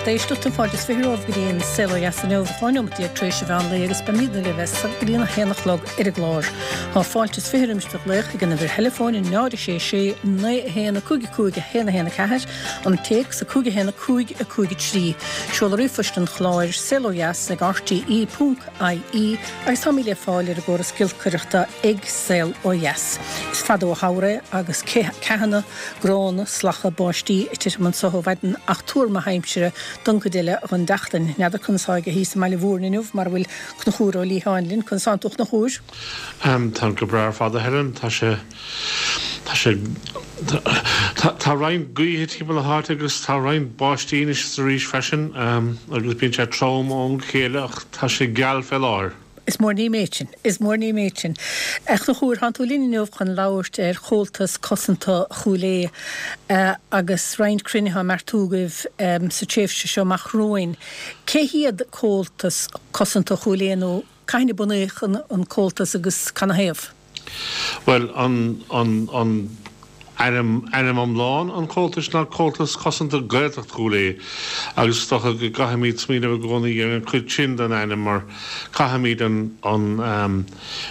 lucht éisteachta, fáilte is 20 romhaibh go dtí an Saol Ó Dheas inniu, 12 nóimeat tar éis an mheán lae agus beimidne libh as so go dtí an 1 a chlog ar an gclár. Tá fáilte is 20 roimis do ghlaoch ag an uimhir theileafóin 0 6 6 9 1 5 5 1 1 4, an téacs 5 1 5 5 3. Seoladh ríomhphoist an chláir, saolodheas ag rte ponc ie agus táimid le fáil ar an gcóras giolcaireachta ag Saol Ó Dheas. Is fada ó shamhradh é agus ceathanna gránna, slactha báistí ag titim anso ó mhaidin ach tuar maith aimsire don chuid eile dhon tseachtain. N'fheadar conas atá aige thíos i mBaile Mhúirne inniu mar a bhfuil Conchúr Ó Liatháin linn. Conas tánn tú a Chonchúir? Táim go breá ar fad a Helen. Tá sé, tá sé, tá roinnt gaoithe timpeall na háite agus tá roinnt báistí anois is arís freisin agus bíonn sé trom ó am go chéile ach tá sé geal fé láthair. Is mór an ríméad sin. Is mór an ríméad sin. A Chonchúir, tánn tú linn inniu chun labhairt ar Chomhaltas Cosanta Chúil Aodha agus roinnt cruinnithe á mbeartú agaibh sa tréimhse seo amach romhainn. Cé hiad Comhaltas Cosanta Chúil Aodha nó Cathain a bunaíodh an Comhaltas agus canathaobh? Bhuel, an, an, an ainm, ainm iomlán an Chomhaltais ná Comhaltas Cosanta Gaeltacht Chúil Aodha agus is dócha go gcaithfimid smaoineamh i gcónaí ar an chuid sin den ainm mar caithfimid an, an,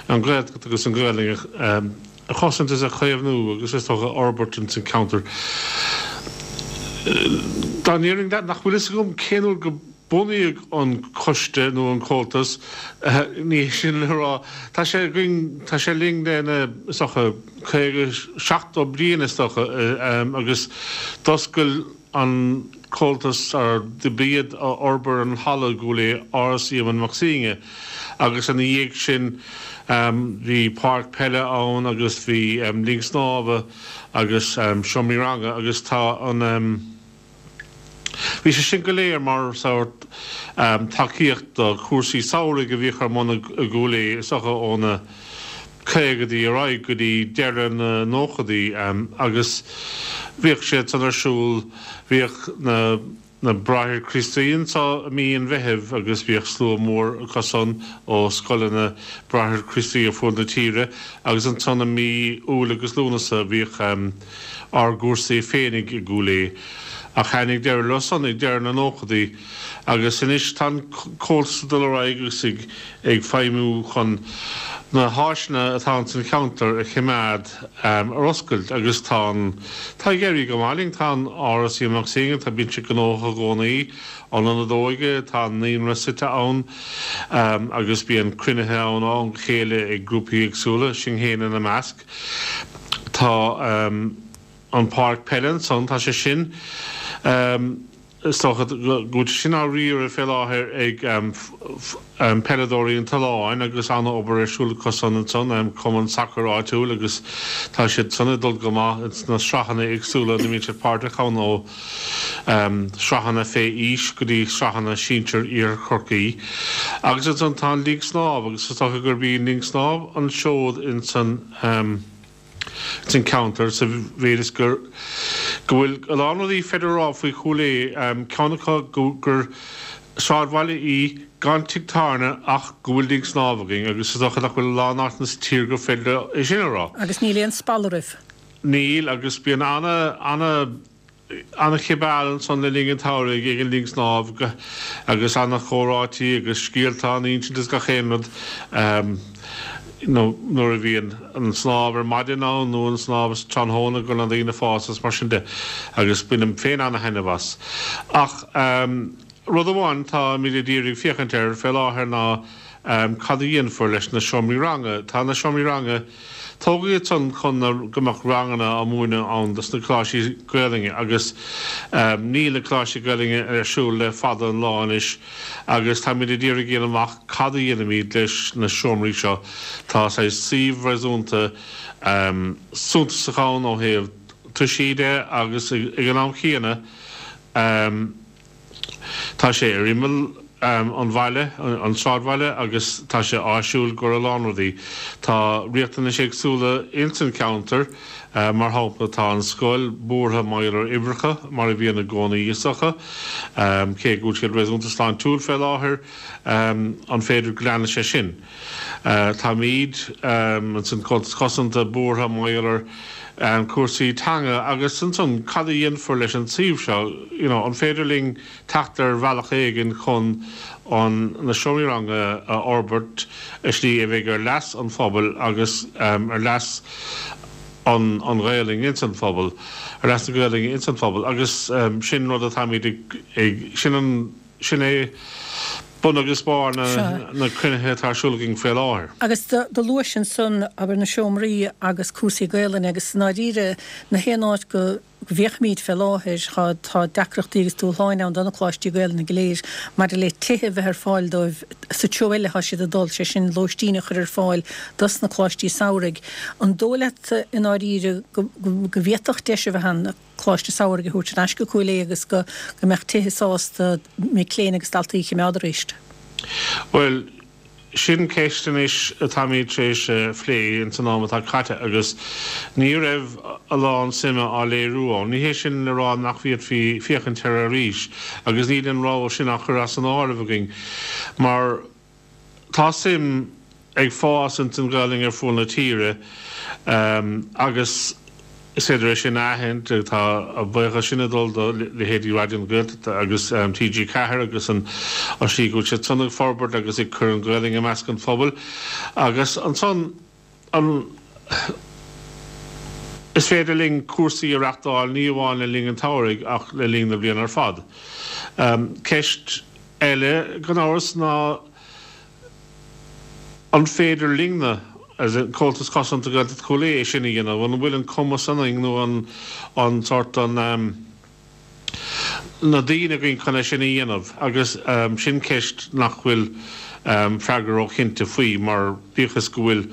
an Ghaeltacht agus an Ghaelainn a, a chosaint is a chaomhnú agus is dócha a fhorbairt ins an ceantar. Dá ndéarfainn leat nach bhfuil fhios agam cén uair go. Bunaíodh an coiste nó an Comhaltas, ní hé sin le rá, tá sé againn, tá sé linn le na, is dócha, 50, 70 bliain is dócha agus d'oscail an Comhaltas, or b'iad a fhorbair an halla i gCúil Aodha, Áras Éamonn Mac Suibhne agus ina dhiaidh sin bhí páirc peile ann agus bhí linn snámha agus seomraí ranga agus tá an. Bhí sé sin go léir mar sórt tacaíocht do chúrsaí samhraidh a bhíodh ar bun i gCúil Aodha, is dócha ó na caogaidí ar aghaidh go dtí deireadh na nóchadaí agus bhíodh siad san ar siúl, bhíodh na na Bráithre Críostaí anso i mí an Mheithimh agus bhíodh slua mór acu san ó scoileanna Bráithre Críostaí ar fuaid na tíre agus ansan i mí Iúil agus Lúnasa bhíodh ár gcúrsaí féinig i gCúil Aodha, ach tháinig deireadh leo san ag deireadh na nóchadaí, agus anois tá an Comhaltas ag dul ar aghaidh agus ag ag feidhmiú chun na háiseanna atá ins an cheantar a choimeád ar oscailt, agus tá an, tá ag éirí go maith linn, tá an Áras Éamonn Mac Suibhne, tá, bíonn sé gnóthach i gcónaí, an Ionad Óige, tá an Naíonra suite ann, agus bíonn cruinnithe ann ó am go chéile ag grúpaí éagsúla, sinn féin ina measc. Tá an páirc peile ansan, tá sé sin, is dócha go bhfuil sé sin á riaradh fé láthair ag peileadóirí an tSuláin agus an-obair ar siúl acu san ansan, cumann sacair áitiúil agus tá siad san ag dul go maith ins na sraitheanna éagsúla ina mbíonn siad páirteach ann ó sraitheanna fé aois go dtí sraitheanna sinsir Iarthar Chorcaí. Agus ansan tá an linn snámh agus is dócha gurb í an linn snámh an seod ins an ins an ceantar sa mhéid is gur go bhfuil a lán rudaí féidir a rá faoi Chúil Aodha, ceann acu go gur sráidbhaile í gan tigh tábhairne ach go bhfuil linn snámh againn agus is dócha nach bhfuil a lán áiteanna sa tír gur féidir é sin a rá. Agus níl aon spalla roimh. Níl agus bíonn ana ana Ana-chibeáil ansan le linn an tsamhraidh ag an linn snámh agus ana-chomhráití agus scéalta á n-insint is gach aon rud nuair a bhíonn an snámh ar maidin ann nó an snámh tráthnóna go bhfuil na daoine fásta is mar sin de agus bainim féin ana-thaitneamh as. Ach rud amháin táimid ag iarraidh féachaint air fé láthair ná cad a dhéanfar leis na seomraí ranga. Tá na seomraí ranga. Tógadh iad san chun go mbeadh ranganna á múineadh ann dos na coláistí Gaelainne agus níl na coláistí Gaelainne ar siúl le fada an lá anois agus táimid ag iarraidh a dhéanamh amach cad a dhéanfaimid leis na seomraí seo. Tá saghas suíomh réasúnta suntasach ann ó thaobh toisí de agus ag an am chéanna Tá sé ar imeall an bhaile, an sráidbhaile, agus tá sé áisiúil i gcomhair a lán rudaí. Tá riachtanais éagsúla ins an cheantar, mar shampla tá an scoil buartha mar gheall ar uimhreacha, mar a bhíonn i gcónaí is dócha. Cé go bhfuil siad réasúnta sláintiúil fé láthair, an féidir go leanfaidh sé sin? Táimid, ansan Comhaltas Cosanta, buartha mar gheall ar cúrsaí teanga agus ansan cad a dhéanfar leis an suíomh seo, you know, an féidir linn teacht ar bhealach éigin chun an na seomraí ranga a fhorbairt i slí a bheidh ar leas an phobail agus ar leas an an Ghaelainn ins an phobal, ar leas na Gaelainne ins an phobal agus sin rud atáimid ag ag sin an Sin é bun agus barr na cruinnithe atá ar siúl againn faoi láthair. Agus do luais ansan, abair, na seomraí agus cúrsaí Gaelainne agus i ndáiríre na haon áit go bhféachaimíd fé láthair tá tá deacrachtaí agus dúshláin ann do na coláistí Gaelainne go léir maidir le tithe a bheith ar fáil dóibh sa treo eile atá siad ag dul, sé sin lóistín a chur ar fáil dos na coláistí samhraidh. An dóigh leat i ndáiríre go go bhféadfadh deis a bheith ann? Coláiste Samhraidh a thabhairt ar ais go Cúil Aodha agus go go mbeadh tithe sásta mic léinn agus daltaí a chimeád arís? Bhuel, sin ceist anois atáimid tar éis a phlé ins an am atá caite agus ní raibh a lán suime á léiriú ann. Ní hé sin le rá nach bhféadfaí féachaint air arís agus níl an rogha sin á chur as an áireamh againn mar Tá suim ag fás ins an Ghaelainn ar fuaid na tíre agus is féidir é sin a aithint. Tá a buíochas sin ag dul do leithéidí Raidió na Gaeltachta agus TG4 agus an slí go bhfuil siad san ag forbairt agus ag cur an Ghaelainn i measc an phobail agus ansan an Is féidir linn cúrsaí a reachtáil ní amháin le linn an tsamhraidh ach le linn na bliana ar fad. Ceist eile, gan amhras, ná an féidir linne, as in Comhaltas Cosanta Gaeltacht Chúil Aodha, é sin a dhéanamh? An bhfuil an cumas ionainn nó an sórt an. na daoine againn chun é sin a dhéanamh agus sin ceist nach bhfuil freagra róchinnte faoi mar bíodh is go bhfuil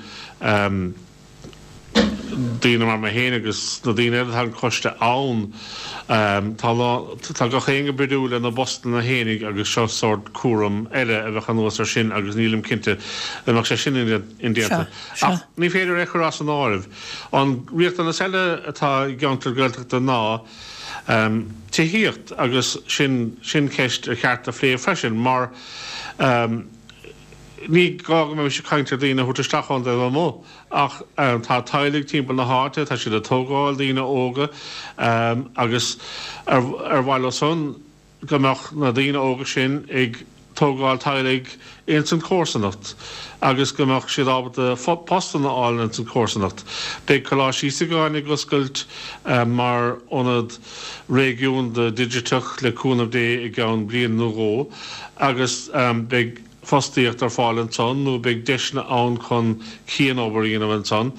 daoine mar mé féin agus na daoine eile atá ar an choiste ann tá tá gach éinne brúite lena bpostanna fhéinig agus seo sórt cúram eile a bheadh anuas ar sin agus nílim cinnte an mbeadh sé sin indéanta. Ach ní féidir é a chur as an áireamh. An riachtanas eile atá i gceantar Gaeltachta ná Tithíocht, agus sin sin ceist ar cheart a phlé freisin mar ní gá go mbeimis ag caint ar daoine a thabhairt isteach ón dtaobh amuigh ach tá teaghlaigh timpeall na háite, tá siad ag tógáil, daoine óga agus ar mhaith leo san go mbeadh na daoine óga sin ag tógáil teaghlaigh ins an chomharsanacht agus go mbeadh siad ábalta postanna a fháil ins an chomharsanacht. Beidh Coláiste Íosagáin ag oscailt mar ionad réigiúnda digiteach le cúnamh Dé i gceann bliain nó dhó agus beidh fostaíocht ar fáil ansan nó beidh deiseanna ann chun cianobair a dhéanamh ansan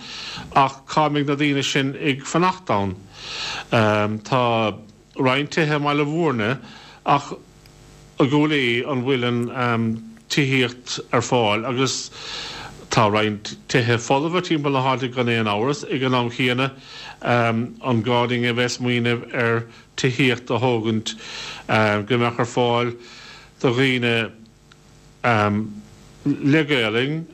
ach cá mbeidh na daoine sin ag fanacht ann? Tá. roinnt tithe i mBaile Mhúirne ach i gCúil Aodha an bhfuil an tithíocht ar fáil agus tá roinnt tithe folmha timpeall na háite gan aon amhras. Ag an am chéanna an gá dúinn a bheith ag smaoineamh ar tithíocht a thógaint go mbeadh ar fáil do dhaoine le Gaelainn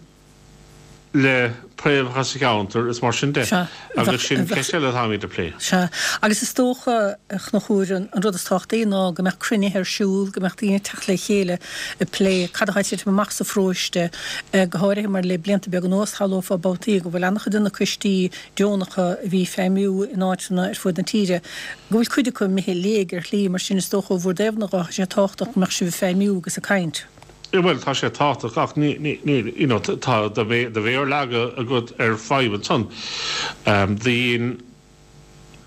le préamhacha sa cheantar is mar sin de. Sea. Agus sin ceist eile atáimid a plé. Sea. Agus is dócha, a Chonchúir, an rud is tábhachtaí ná go mbeadh cruinnithe ar siúl, go mbeadh daoine ag teacht le chéile ag plé cad atá ag titim amach sa pharóiste, go háirithe mar le blianta beaga anuas shamhlófá babhtaí go bhfuil an-chuid de na coistí deonacha a bhí ag feidhmiú in áiteanna ar fud na tíre, go bhfuil cuid acu imithe i léig ar shlí, mar sin is dócha ó bhur dtaobhna dhe, tá sé tábhachtach go mbeadh sibh ag feidhmiú agus ag caint. Bhuel, tá sé tábhachtach ach ní, ní, ní, you know, tá do mhéar leagtha agat ar fadhb ansan. Dhein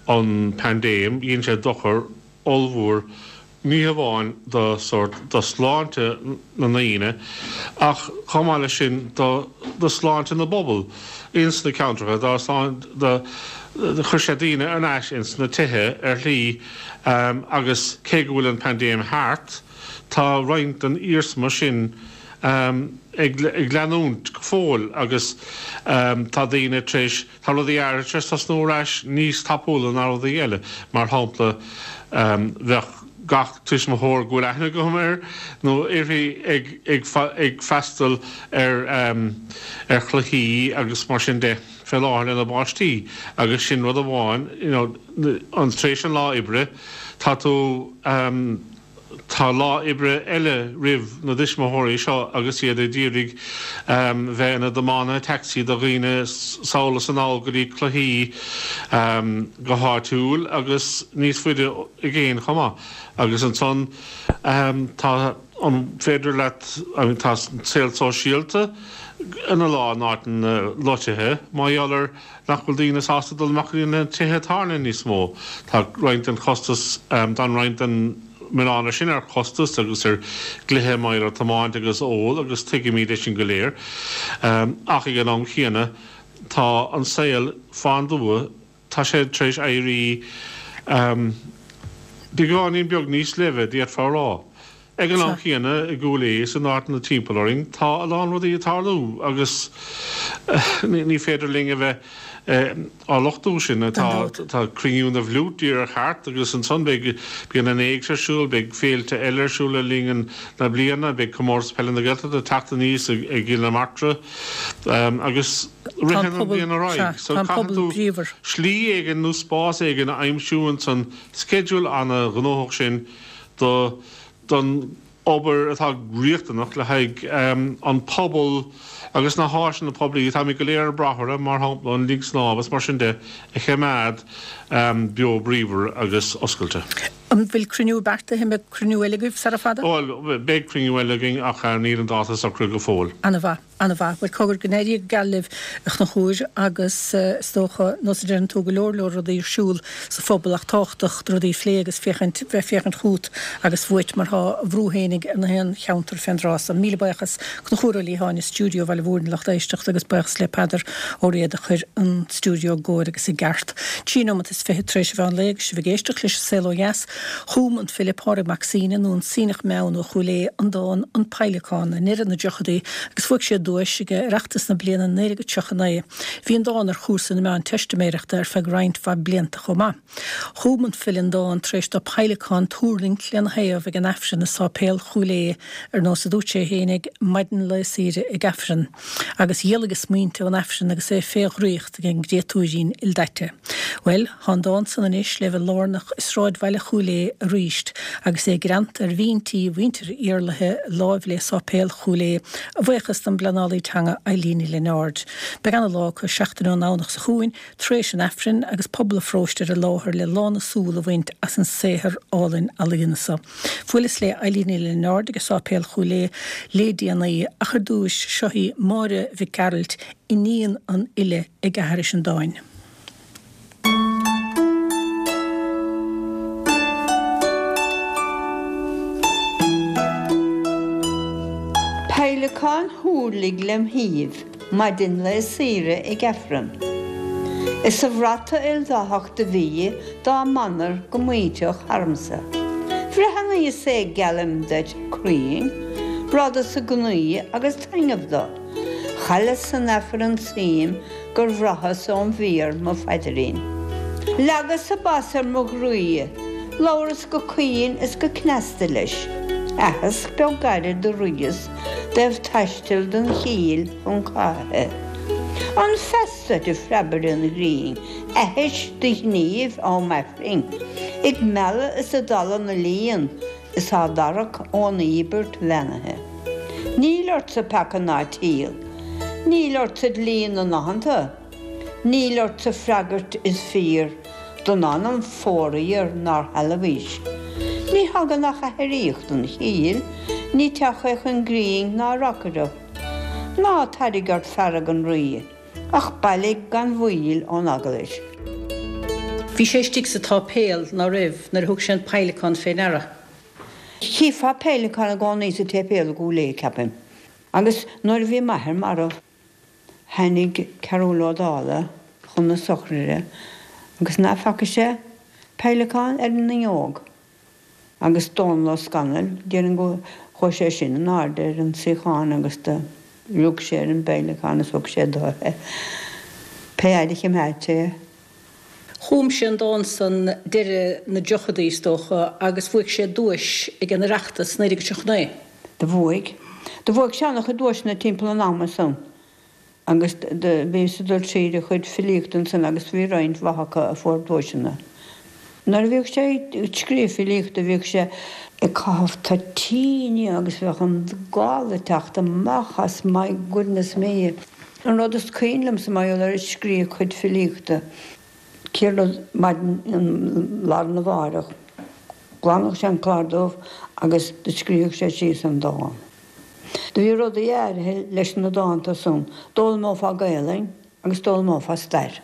an paindéim, dhein sé dochar ollmhór ní hamháin do sórt, do shláinte na ndaoine ach chomh maith leis sin do, do shláinte na bpobal ins na ceantracha, dá sláinte, do, chuir sé daoine ar ais ins na tithe ar shlí agus cé go bhfuil an paindéim thart, Tá roinnt den iarsma sin ag leanúint go fóill agus tá daoine tar éis, tá rudaí áirithe tar éis tosnú ar ais níos tapúla ná rudaí eile. Mar shampla, bheadh gach tuismitheoir go bhfuil aithne agam air nó uirthi ag ag freastal ar ar chluichí agus mar sin de fé láthair lena bpáistí agus sin rud amháin, you know, an tar éis an lá oibre tá tú. Tá lá oibre eile roimh na dtuismitheoirí seo agus iad ag iarraidh bheith ina dtiománaithe tacsaí do dhaoine sall is anall go dtí cluichí go háitiúil agus níos faide i gcéin chomh maith. Agus ansan tá, an féidir leat, I mean tá an saol sóisialta ina lán áiteanna loitithe mar gheall ar nach bhfuil daoine sásta dul amach go dtí na tithe tábhairne níos mó. Tá roinnt den chostas, tá roinnt den milleán ar sin ar chostas agus ar gcluiche mar gheall ar tiomáint agus ól agus tuigimid é sin go léir. Ach ag an am chéanna tá an saol fán dtuath, tá sé tar éis éirí beagáinín beag níos leimhe, d'fhéadfá a rá. Ag an am chéanna, i gCúil Aodha is in áiteanna timpeall orainn, tá a lán rudaí ag tarlú agus ní féidir linn a bheith á lochtú sin. Tá Cruinniú na bhFliút díreach thart agus ansan beidh, bíonn an Éigse ar siúl, beidh féilte eile ar siúl le linn na bliana, beidh Comórtas Peile na Gaeltachta ag teacht aníos i gCill na Martra agus ritheann an bhliain ar aghaidh. So caithfidh tú slí éigin nó spás éigin a aimsiú insan sceideal ana-ghnóthach sin do don obair atá riachtanach le haghaidh an pobal agus na háiseanna poiblí atáimid go léir ag brath orthu, mar shampla an linn snámha is mar sin de, a choimeád beo bríomhar agus oscailte. An bhfuil cruinniú beartaithe? An mbeidh cruinniú eile agaibh sara fada? Bhuel, beidh cruinniú eile againn ach níl an dáta socraithe go fóill. Ana-mhaith. An-mhaith. Bhuel, cogar, go n-éirí go geal libh, a Chonchúir, agus is dócha, nós a deireann tú, go leor leor rudaí ar siúl sa phobal ach tábhachtach do rudaí a phlé agus féachaint, bheith féachaint chugat agus uait mar tá a bhrú fhéinig ar na haon cheantar fén dtráth so. Míle buíochas Conchúr Ó Liatháin i stiúideo Bhaile Mhúirne lucht éisteachta agus buíochas le Peadar Ó Riada a chuir an stiúideo i gcóir agus i gceart. 23 nóimeat tar éis an mheán lae agus sibh ag éisteacht leis An Saol Ó Dheas. Chum an file Pádraig Mac Suibhne, nó an Suibhneach Meann ó Chúil Aodha, an dán 'An Peidhleacán' i ndeireadh na dtríochadaí agus bhuaigh sé duais ag Oireachtas na bliana 1939. Bhí an dán ar chúrsa na Meánteistiméireachta ar feadh roinnt mhaith blianta chomh maith. Chum an file an dán tar éis dó peidhleacán tuirlingt lena thaobh ag an Aifreann i Sáipéal Chúil Aodha, ar nós a dúirt sé fhéinig, maidin lae saoire ag Aifreann. Agus dhealaigh a smaointe ón Aifreann agus é fé dhraíocht ag an gcréatúirín ildaite. Bhuel, thá an dán san anois le bheith lárnach i sráidbhaile Chúil Aodha aríst, agus é greanta ar bhinn tí mhuintir Iarlaithe láimh le Sáipéal Chúil Aodha, a bhuíochas don bpleanálaí teanga Eileen Ní Lionáird. Beidh ana-lá acu seachtain ón nDomhnach seo chugainn, tar éis an Aifrinn, agus pobal an pharóiste ar an láthair le lán a súl a bhaint as an saothar álainn ealaíona so. Bhuaileas le Eileen Ní Lionáird ag Sáipéal Chúil Aodha le déanaí, ach ar dtúis, seo í Máire Mhic Gearailt, iníon an fhile ag aithris an dáin. Peidhleacán thúirlig lem thaobh maidin lae saoire ag Aifreann. Is a bhrata ildathach do bhí dá manair go maointeach tharamsa. Bhreathnaíos é geallaim duit cruinn, bradhas i gnaoi agus taitneamh do. Chailleas san Aifreann suim gur bhraitheas óm mhéar mo phaidirín. Leagas a bas ar mo ghroí, labhras go caoin is go cneasta leis. Aitheasc beag gairid do roinneas dtaobh taisteal don chill chun cathaithe. An feas duit, a phreabaire an ghrinn, aithis do ghnímh am Aifrinn, ag mealladh is ag dalladh na líon is á dtarrac ón íobairt bheannaithe. Níl ortsa peaca ná triail, níl ortsa dlí na n-aitheanta, níl ortsa freagairt is fíor don anam fóraoir nár shealbhaís. Ní thagann ach aithríoch don chill, ní teach é chun grinn ná reacaireacht. Ná tairg ort fearg an Rí, ach bailigh gan mhoill ón eaglais. Bhí sé istigh sa tsáipéal, ná raibh, nuair a thug sé an peidhleacán fé ndeara. Chífeá peidhleacán i gcónaí sa tséipéal i gCúil Aodha, ceapaim. Agus nuair a bhí m'athair marbh, tháinig Cearbhall Ó Dálaigh chun na sochraide agus ná faca sé peidhleacán ar an fhuinneog. Agus Dónal Ó Scanaill, déarfainn go chuaigh sé sin in airde ar an suíochán agus do rug sé ar an bpeidhleacán is thug sé dó é. Pé fhaid a chimeád sé é. Chum sé an dán san deireadh na dtríochadaí, is dócha, agus bhuaigh sé duais ag an Oireachtas 1939. Do bhuaigh. Do bhuaigh sé an-chuid duaiseanna timpeall an ama san. Agus do bhíos ag dul tríd a chuid filíochta ansan agus bhí roinnt mhaith acu a fuair duaiseanna. Nuair a bhíodh sé ag scríobh filíochta bhíodh sé ag caitheamh toitíní agus bheadh an gal ag teacht amach as, my goodness me. An rud is cuimhin liomsa mar gheall air ag scríobh a chuid filíochta, céad rud maidin lá arna mháireach, ghlanfadh sé an clár dubh agus do scríobhadh sé síos an dán. Do bhí rudaí áirithe leis na dánta san, d'fhoghlaimeofá Gaelainn agus d'fhoghlaimeofá stair.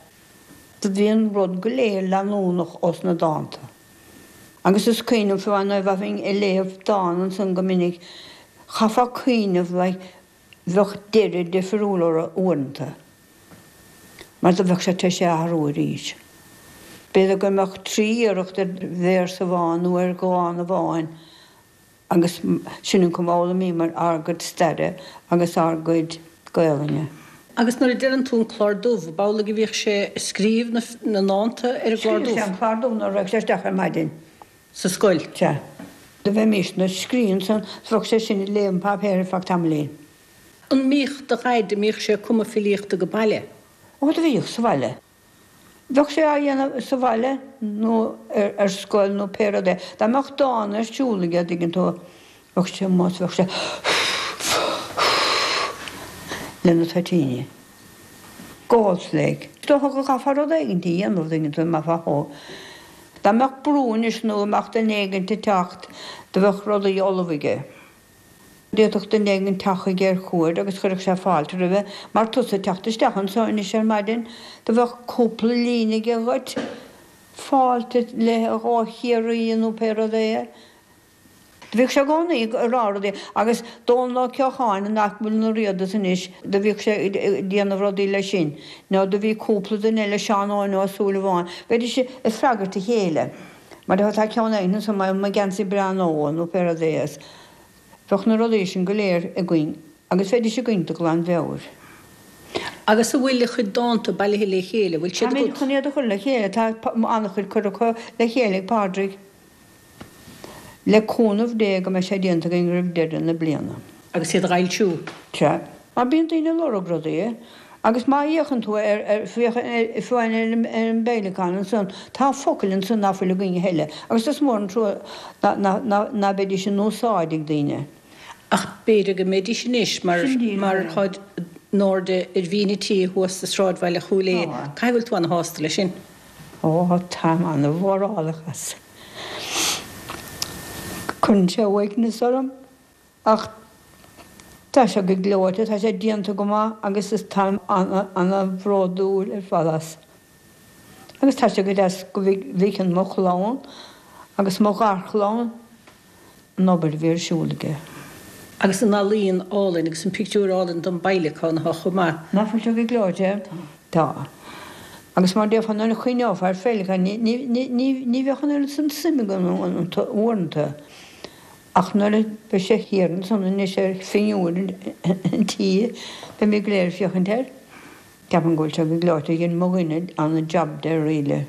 Do bhí an rud go léir leanúnach ós na dánta. Agus is cuimhin liom fiú amháin nuair a bheinn ag léamh dán ansan go minic, chaithfeá cuimhneamh like bheadh deireadh difriúil orthu uaireanta mar do bheadh sé tar éis é a athrú arís. B'fhéidir go mbeadh trí iarracht ar véarsa amháin nó ar dhán amháin Agus sin an cuma a fhoghlaimíomar ár gcuid staire agus ár gcuid Gaolainne. Agus nuair a deireann tú an clár dubh, ab amhlaidh a bhíodh sé ag scríobh na ndánta ar an gclár dubh? Scríobhadh sé an clár dubh nuair a raghadh sé isteach ar maidin. Sa scoil? Sea. Do bheimisne ag scríobh ansan, bheadh sé sin ag léamh an páipéir ar feadh tamaillín. An mbíodh do dhaid, an mbíodh sé ag cumadh filíochta go baile? Ó, do bhíodh, sa bhaile. Bheadh sé á dhéanamh sa bhaile nó ar scoil nó pé rud é. Dá mbeadh dán ar siúl aige, an dtuigeann tú, bheadh sé amuigh is bheadh sé lena toitíní. Gallflake. Is dócha go gcaithfeá rud éigint a dhéanamh, an dtuigeann tú, mbeifeá chomh. Dá mbeadh brú anois nó go mbeadh duine éigint ag teacht, do bheadh rudaí ullamh aige. D'fhéadfadh duine éigin teacht chuige ar cuaird agus chuirfeadh sé fáilte roimhe, mar tusa ag teacht isteach anso anois ar maidin, do bheadh cúpla líne aige dhuit, fáilte le ó Chiarraí nó pé rud é. Do bhíodh sé i gcónaí ag rá rudaí, agus Dónal Ó Ceocháin, nach bhfuil ina Riadas anois, do bhíodh sé ag déanamh rudaí leis sin, nó do bhí cúpla duine eile, Seán Eoin Ó Súilleabháin, bheidís ag freagairt a chéile. Mar tá ceann éigin anso mar mo gheansaí breá nua nó pé rud é is bheadh na rudaí sin go léir againn agus bheidís againn de ghlanmheabhair. Agus an bhfuil a chuid dánta bailithe le chéile? Bhfuil siad agat? Táimid chun iad a chur le chéile. Tá an-chuid curtha le chéile ag Pádraig. Le cúnamh Dé go mbeidh sé déanta againn roimh deireadh na bliana. Agus iad a fhoilsiú. Sea. Mar bíonn daoine ag lorg rudaí. Agus má fhéachann tú ar, ar, féach fiú amháin ar an, ar an bPeidhleacán ansan, tá focail ansan ná fuil againn a thuilleadh. Agus is mór an trua ná, ná, ná, ná beidís in úsáid ag daoine. Ach b'fhéidir go mbeidís anois mar, Sin díreach mar é. táid in airde ar bhinn an tí thuas sa sráidbhaile Chúil Aodha. Tá. Caithfidh go bhfuil tú ana-shásta leis sin? Ó, táim ana-mhórálach as. Cuireann sé uaigneas orm. Ach tá sé go gleoite, tá sé déanta go maith agus is táim ana-bhródúil ar fad as. Agus tá sé go deas go bhfeiceann mo chlann agus mo gharchlann an obair a bhí ar siúl aige. Agus an ealaín álainn agus an pictiúr álainn don bPeidhleacán atá chomh maith. Nach bhfuil sé go gleoite? Tá. Agus mar déarfá nuair a chuimhneofá ar pheidhleacán ní bheadh an oiread san suim agam iontu uaireanta. Ach nuair a bheidh sé thiar ansan anois ar phinniúr an tí, beimid go léir ag féachaint air. Ceapaim go bhfuil sé go gleoite. Dhein mo dhuine ana-jab de really.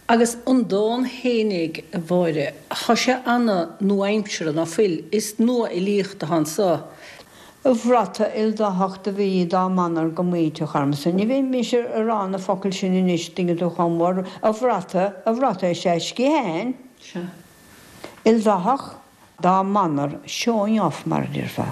Agus an dán fhéinig, a Mháire, thá sé ana-nua-aimseartha, ná fuil? Is nua-fhilíocht atá anso. A bhrata ildathach do bhí dá mbanar go maíteach ormsa. Ní bheidh mise ag rá na focail sin anois, tuigeann tú chomh mór. A bhrata, a bhrata is ea sciatháin. Sea. Ildathach dá mbanar, showing off mar a déarfá.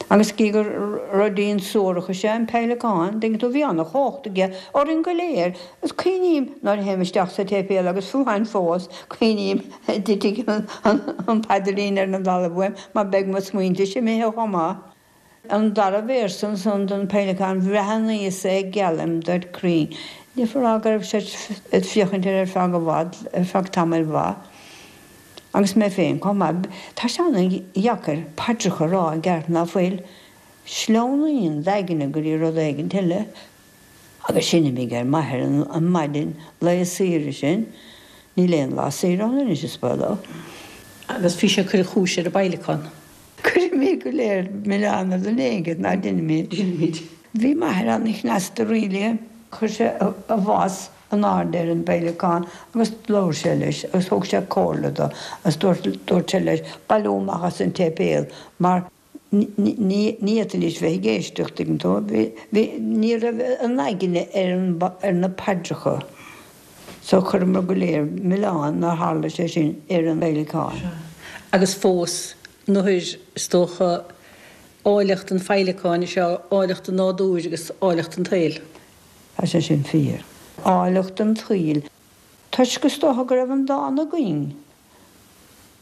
Agus gidh gur ruidín suarach is ea an peidhleacán, tuigeann tú, bhí ana-chumhacht aige orainn go léir. Is cuimhním nuair a théim isteach sa tséipéal agus fiú amháin fós, cuimhním a dtitfidh an paidrín ar an dtalamh uaim mar beidh mo smaointese imithe chomh maith. An dara véarsa ansan den Peidhleacán bhreathnaíos é geallaim duit cruinn. Ní féidir a rá go raibh sé ag féachaint air ar feadh i bhfad, ar feadh tamaill mhaith. Agus mé féin chomh maith. Tá sé an-dheacair paidreacha a rá i gceart ná fuil. Sleamhnaíonn d'aigne go dtí rud éigint eile. Agus sin imigh ar m'athair an maidin lae saoire sin. Níl aon lá saoire ann anois is baolach. Agus bhí sé ag cur a chúis ar an bPeidhleacán. Cuirimid go léir milleán ar dhuine éigin, ná deinimid? Deinimid. Bhí m'athair an-chneasta really. Chuir sé a bhas in airde ar an bPeidhleacán agus labhair sé leis agus thug sé comhairle do agus dúirt dúirt sé leis bailiú amach as an tséipéal mar ní ní fhéadfaidís bheith ag éisteacht, tuigeann tú. Bhí bhí ní raibh an aigne ar an ar na paidreacha. So chuireamar go léir milleán nár tharla sé sin ar an bhféileacán. Sea. Agus fós, nuair, is dócha, áilleacht an féileacáin is ea áilleacht an nádúir agus áilleacht an tsaoil. Tá sé sin fíor. Áilleacht an tsaoil. Toisc is dócha go raibh an dán againn,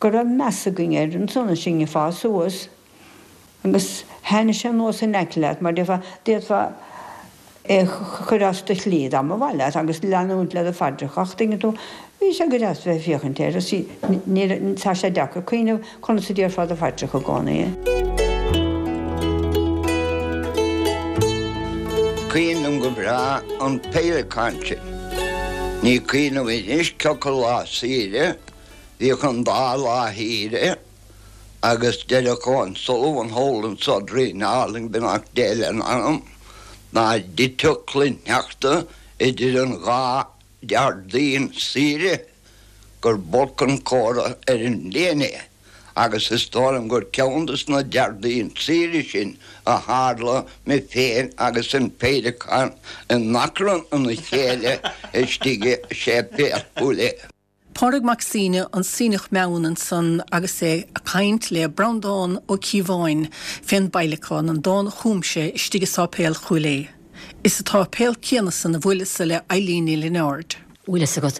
go raibh meas againn air ansan is sinn ag fás suas agus thaitnigh sé anuas in aice leat mar déarfá, d'fhéadfá é a chur as do shlí dá mba mhaith leat agus leanúint le do phaidreacha ach tuigeann tú, bhí sé go deas bheith ag féachaint air is ní, tá sé deacair cuimhneamh conas a déarfá do phaidreacha i gcónaí. Cuimhin liom go breá an féileacán sin. Ní cuimhin liom anois cé acu lá saoire, bhíodh an dá lá shaoire agus deireadh Eoin Sullivan thall anso Droichead Álainn beannacht Dé lena anam, ná dtitfeadh cluin shneachta idir an dhá Déardaoin saoire gur b'olc an comhartha ar an mbliain é agus is dóigh liom gur ceann dos na Déardaoin saoire sin a tharla mé féin agus an féileacán in achrann ina chéile istigh i séipéal Chúil Aodha. Pádraig Mac Suibhne, an Suibhneach Meann ansan agus é a' caint le Breandán Ó Cíobháin fén bPeidhleacán, an dán a chum sé istigh i Sáipéal Chúil Aodha. Is sa tsáipéal céanna san a bhuaileas-sa le Eilín Ní Lionáird. Bhfuil fhios agat,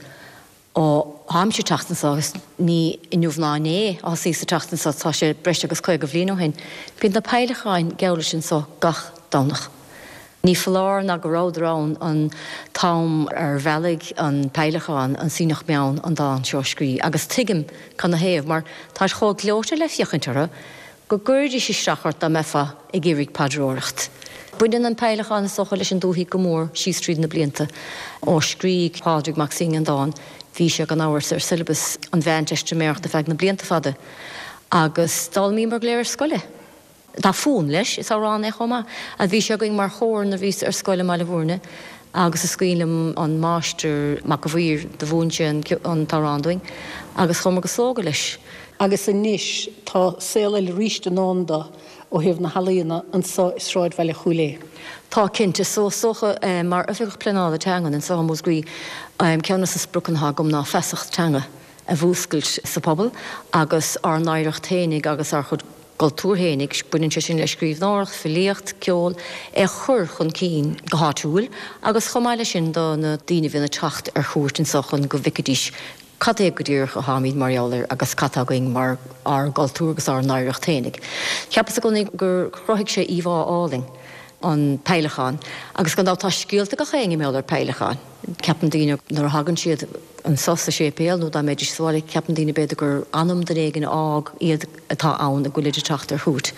ó tháimse ag teacht anso, agus ní inniu ná inné a thosaíos ag teacht anso, tá sé breis agus 50 bhliain ó shin, bíonn na peidhleacáin geall leis anso gach Domhnach. Ní foláir ná go rabhadar ann an t-am ar bhealaigh an peidhleacán, an Suibhneach Meann, an dán seo a scrí, agus tuigim cad 'na thaobh, mar táid chomh gleoite le féachaint orthu go gcuiridís isteach ort dá mbeifeá ag iarraidh paidreoireacht. Baineann an peidhleacán is dócha leis an dúthaigh go mór síos tríd na blianta. Ó scrígh Pádraig Mac Suibhne an dán, bhí sé gan amhras ar syllabus an Mheánteistiméireachta feadh na blianta fada, agus d'fhoghlaimíomar go léir ar scoil é. Tá fonn leis, is amhrán é chomh maith. Bhí sé againn mar chór nuair a bhíos ar scoil i mBaile Bhúirne agus is cuimhin liom an Máistir Mac a' Mhaoir, do mhúin sé an t-amhrán dúinn agus chuamar go slógadh leis. Agus anois tá saol eile arís i ndán dó ó thaobh na healaíona anso i sráidbhaile Chúil Aodha. Tá, cinnte. So, is dócha, mar Oifigeach Pleanála Teangan anso i Múscraí, ceann de na spriocanna atá agam ná feasacht teanga a mhúscailt sa phobal agus ár n-oidhreacht fhéinig agus ár chuid gcultúr fhéinig, baineann sé sin le scríbhneoireacht, filíocht, ceol, é a chur chun cinn go háitiúil agus chomh maith leis sin do na daoine a bhíonn ag teacht ar chuairt anseo chun go bhfeicfidís cad é go díreach atáimid mar gheall air agus cad tá againn mar ár gcultúr agus ár n-oidhreacht fhéinig. Cheapas i gcónaí gur chruthaigh sé íomhá álainn, an peidhleacán, agus gan dabht tá scéalta ag gach éinne mar gheall ar peidhleacán. Ceapann daoine nuair a thagann siad anso sa séipéal nó dá mbeidís sa bhaile, ceapann daoine b'fhéidir gur anam duine éigin a fhág iad atá ann go bhfuilid ag teacht ar chuairt.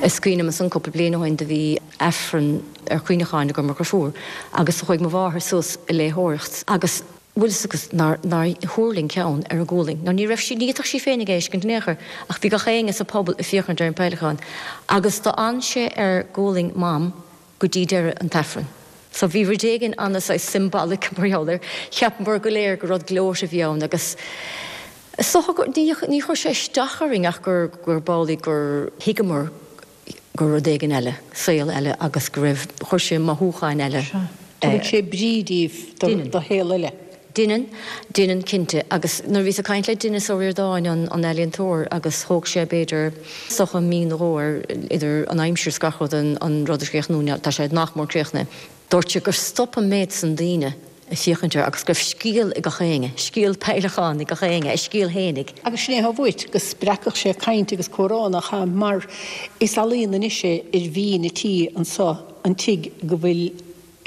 Is cuimhin liom ansan cúpla bliain ó shin do bhí Aifreann ar chuimhneacháin agam ar mo dheirfiúr agus do chuaigh mo mháthair suas ag léitheoireacht agus bhfuil fhios agat nár nár thuirling ceann ar a gualainn nó ní raibh sí ní fhéadfadh sí féinig é a fheiscint in aon chor ach bhí gach éinne sa phobal ag féachaint ar an peidhleacán agus d'fhan sé ar ghualainn Mam go dtí deireadh an t-Aifreann. So bhí rud éigin ana saghas symbolic mar gheall air. Cheapamar go léir gur rud gleoite a bhí ann agus is dócha gur, ní, ní chuir sé isteach orainn ach gur, gur b'amhlaidh gur thuigeamar gur rud éigin eile, saol eile agus go raibh, chuir sé mothúcháin eile. Sea. Tugann sé brí díbh do, do shaol eile. Deineann, deineann cinnte. Agus nuair a bhíos ag caint le Denis Ó Ríordáin, an ealaíontóir, agus thóg sé b'fhéidir is dócha mí nó dhó air idir an aimsir is gach rud an rud a chríochnú, tá sé nach mór críochnaithe. Dúirt sé gur stop an méid san daoine ag féachaint air agus go raibh scéal ag gach éinne, scéal peidhleacáin ag gach éinne, a scéal fhéinig. Agus sin é atá uait, go spreagfadh sé caint agus comhrá, nach ea? Mar is ealaíon anois é ar bhinn an tí anso, an tigh go bhfuil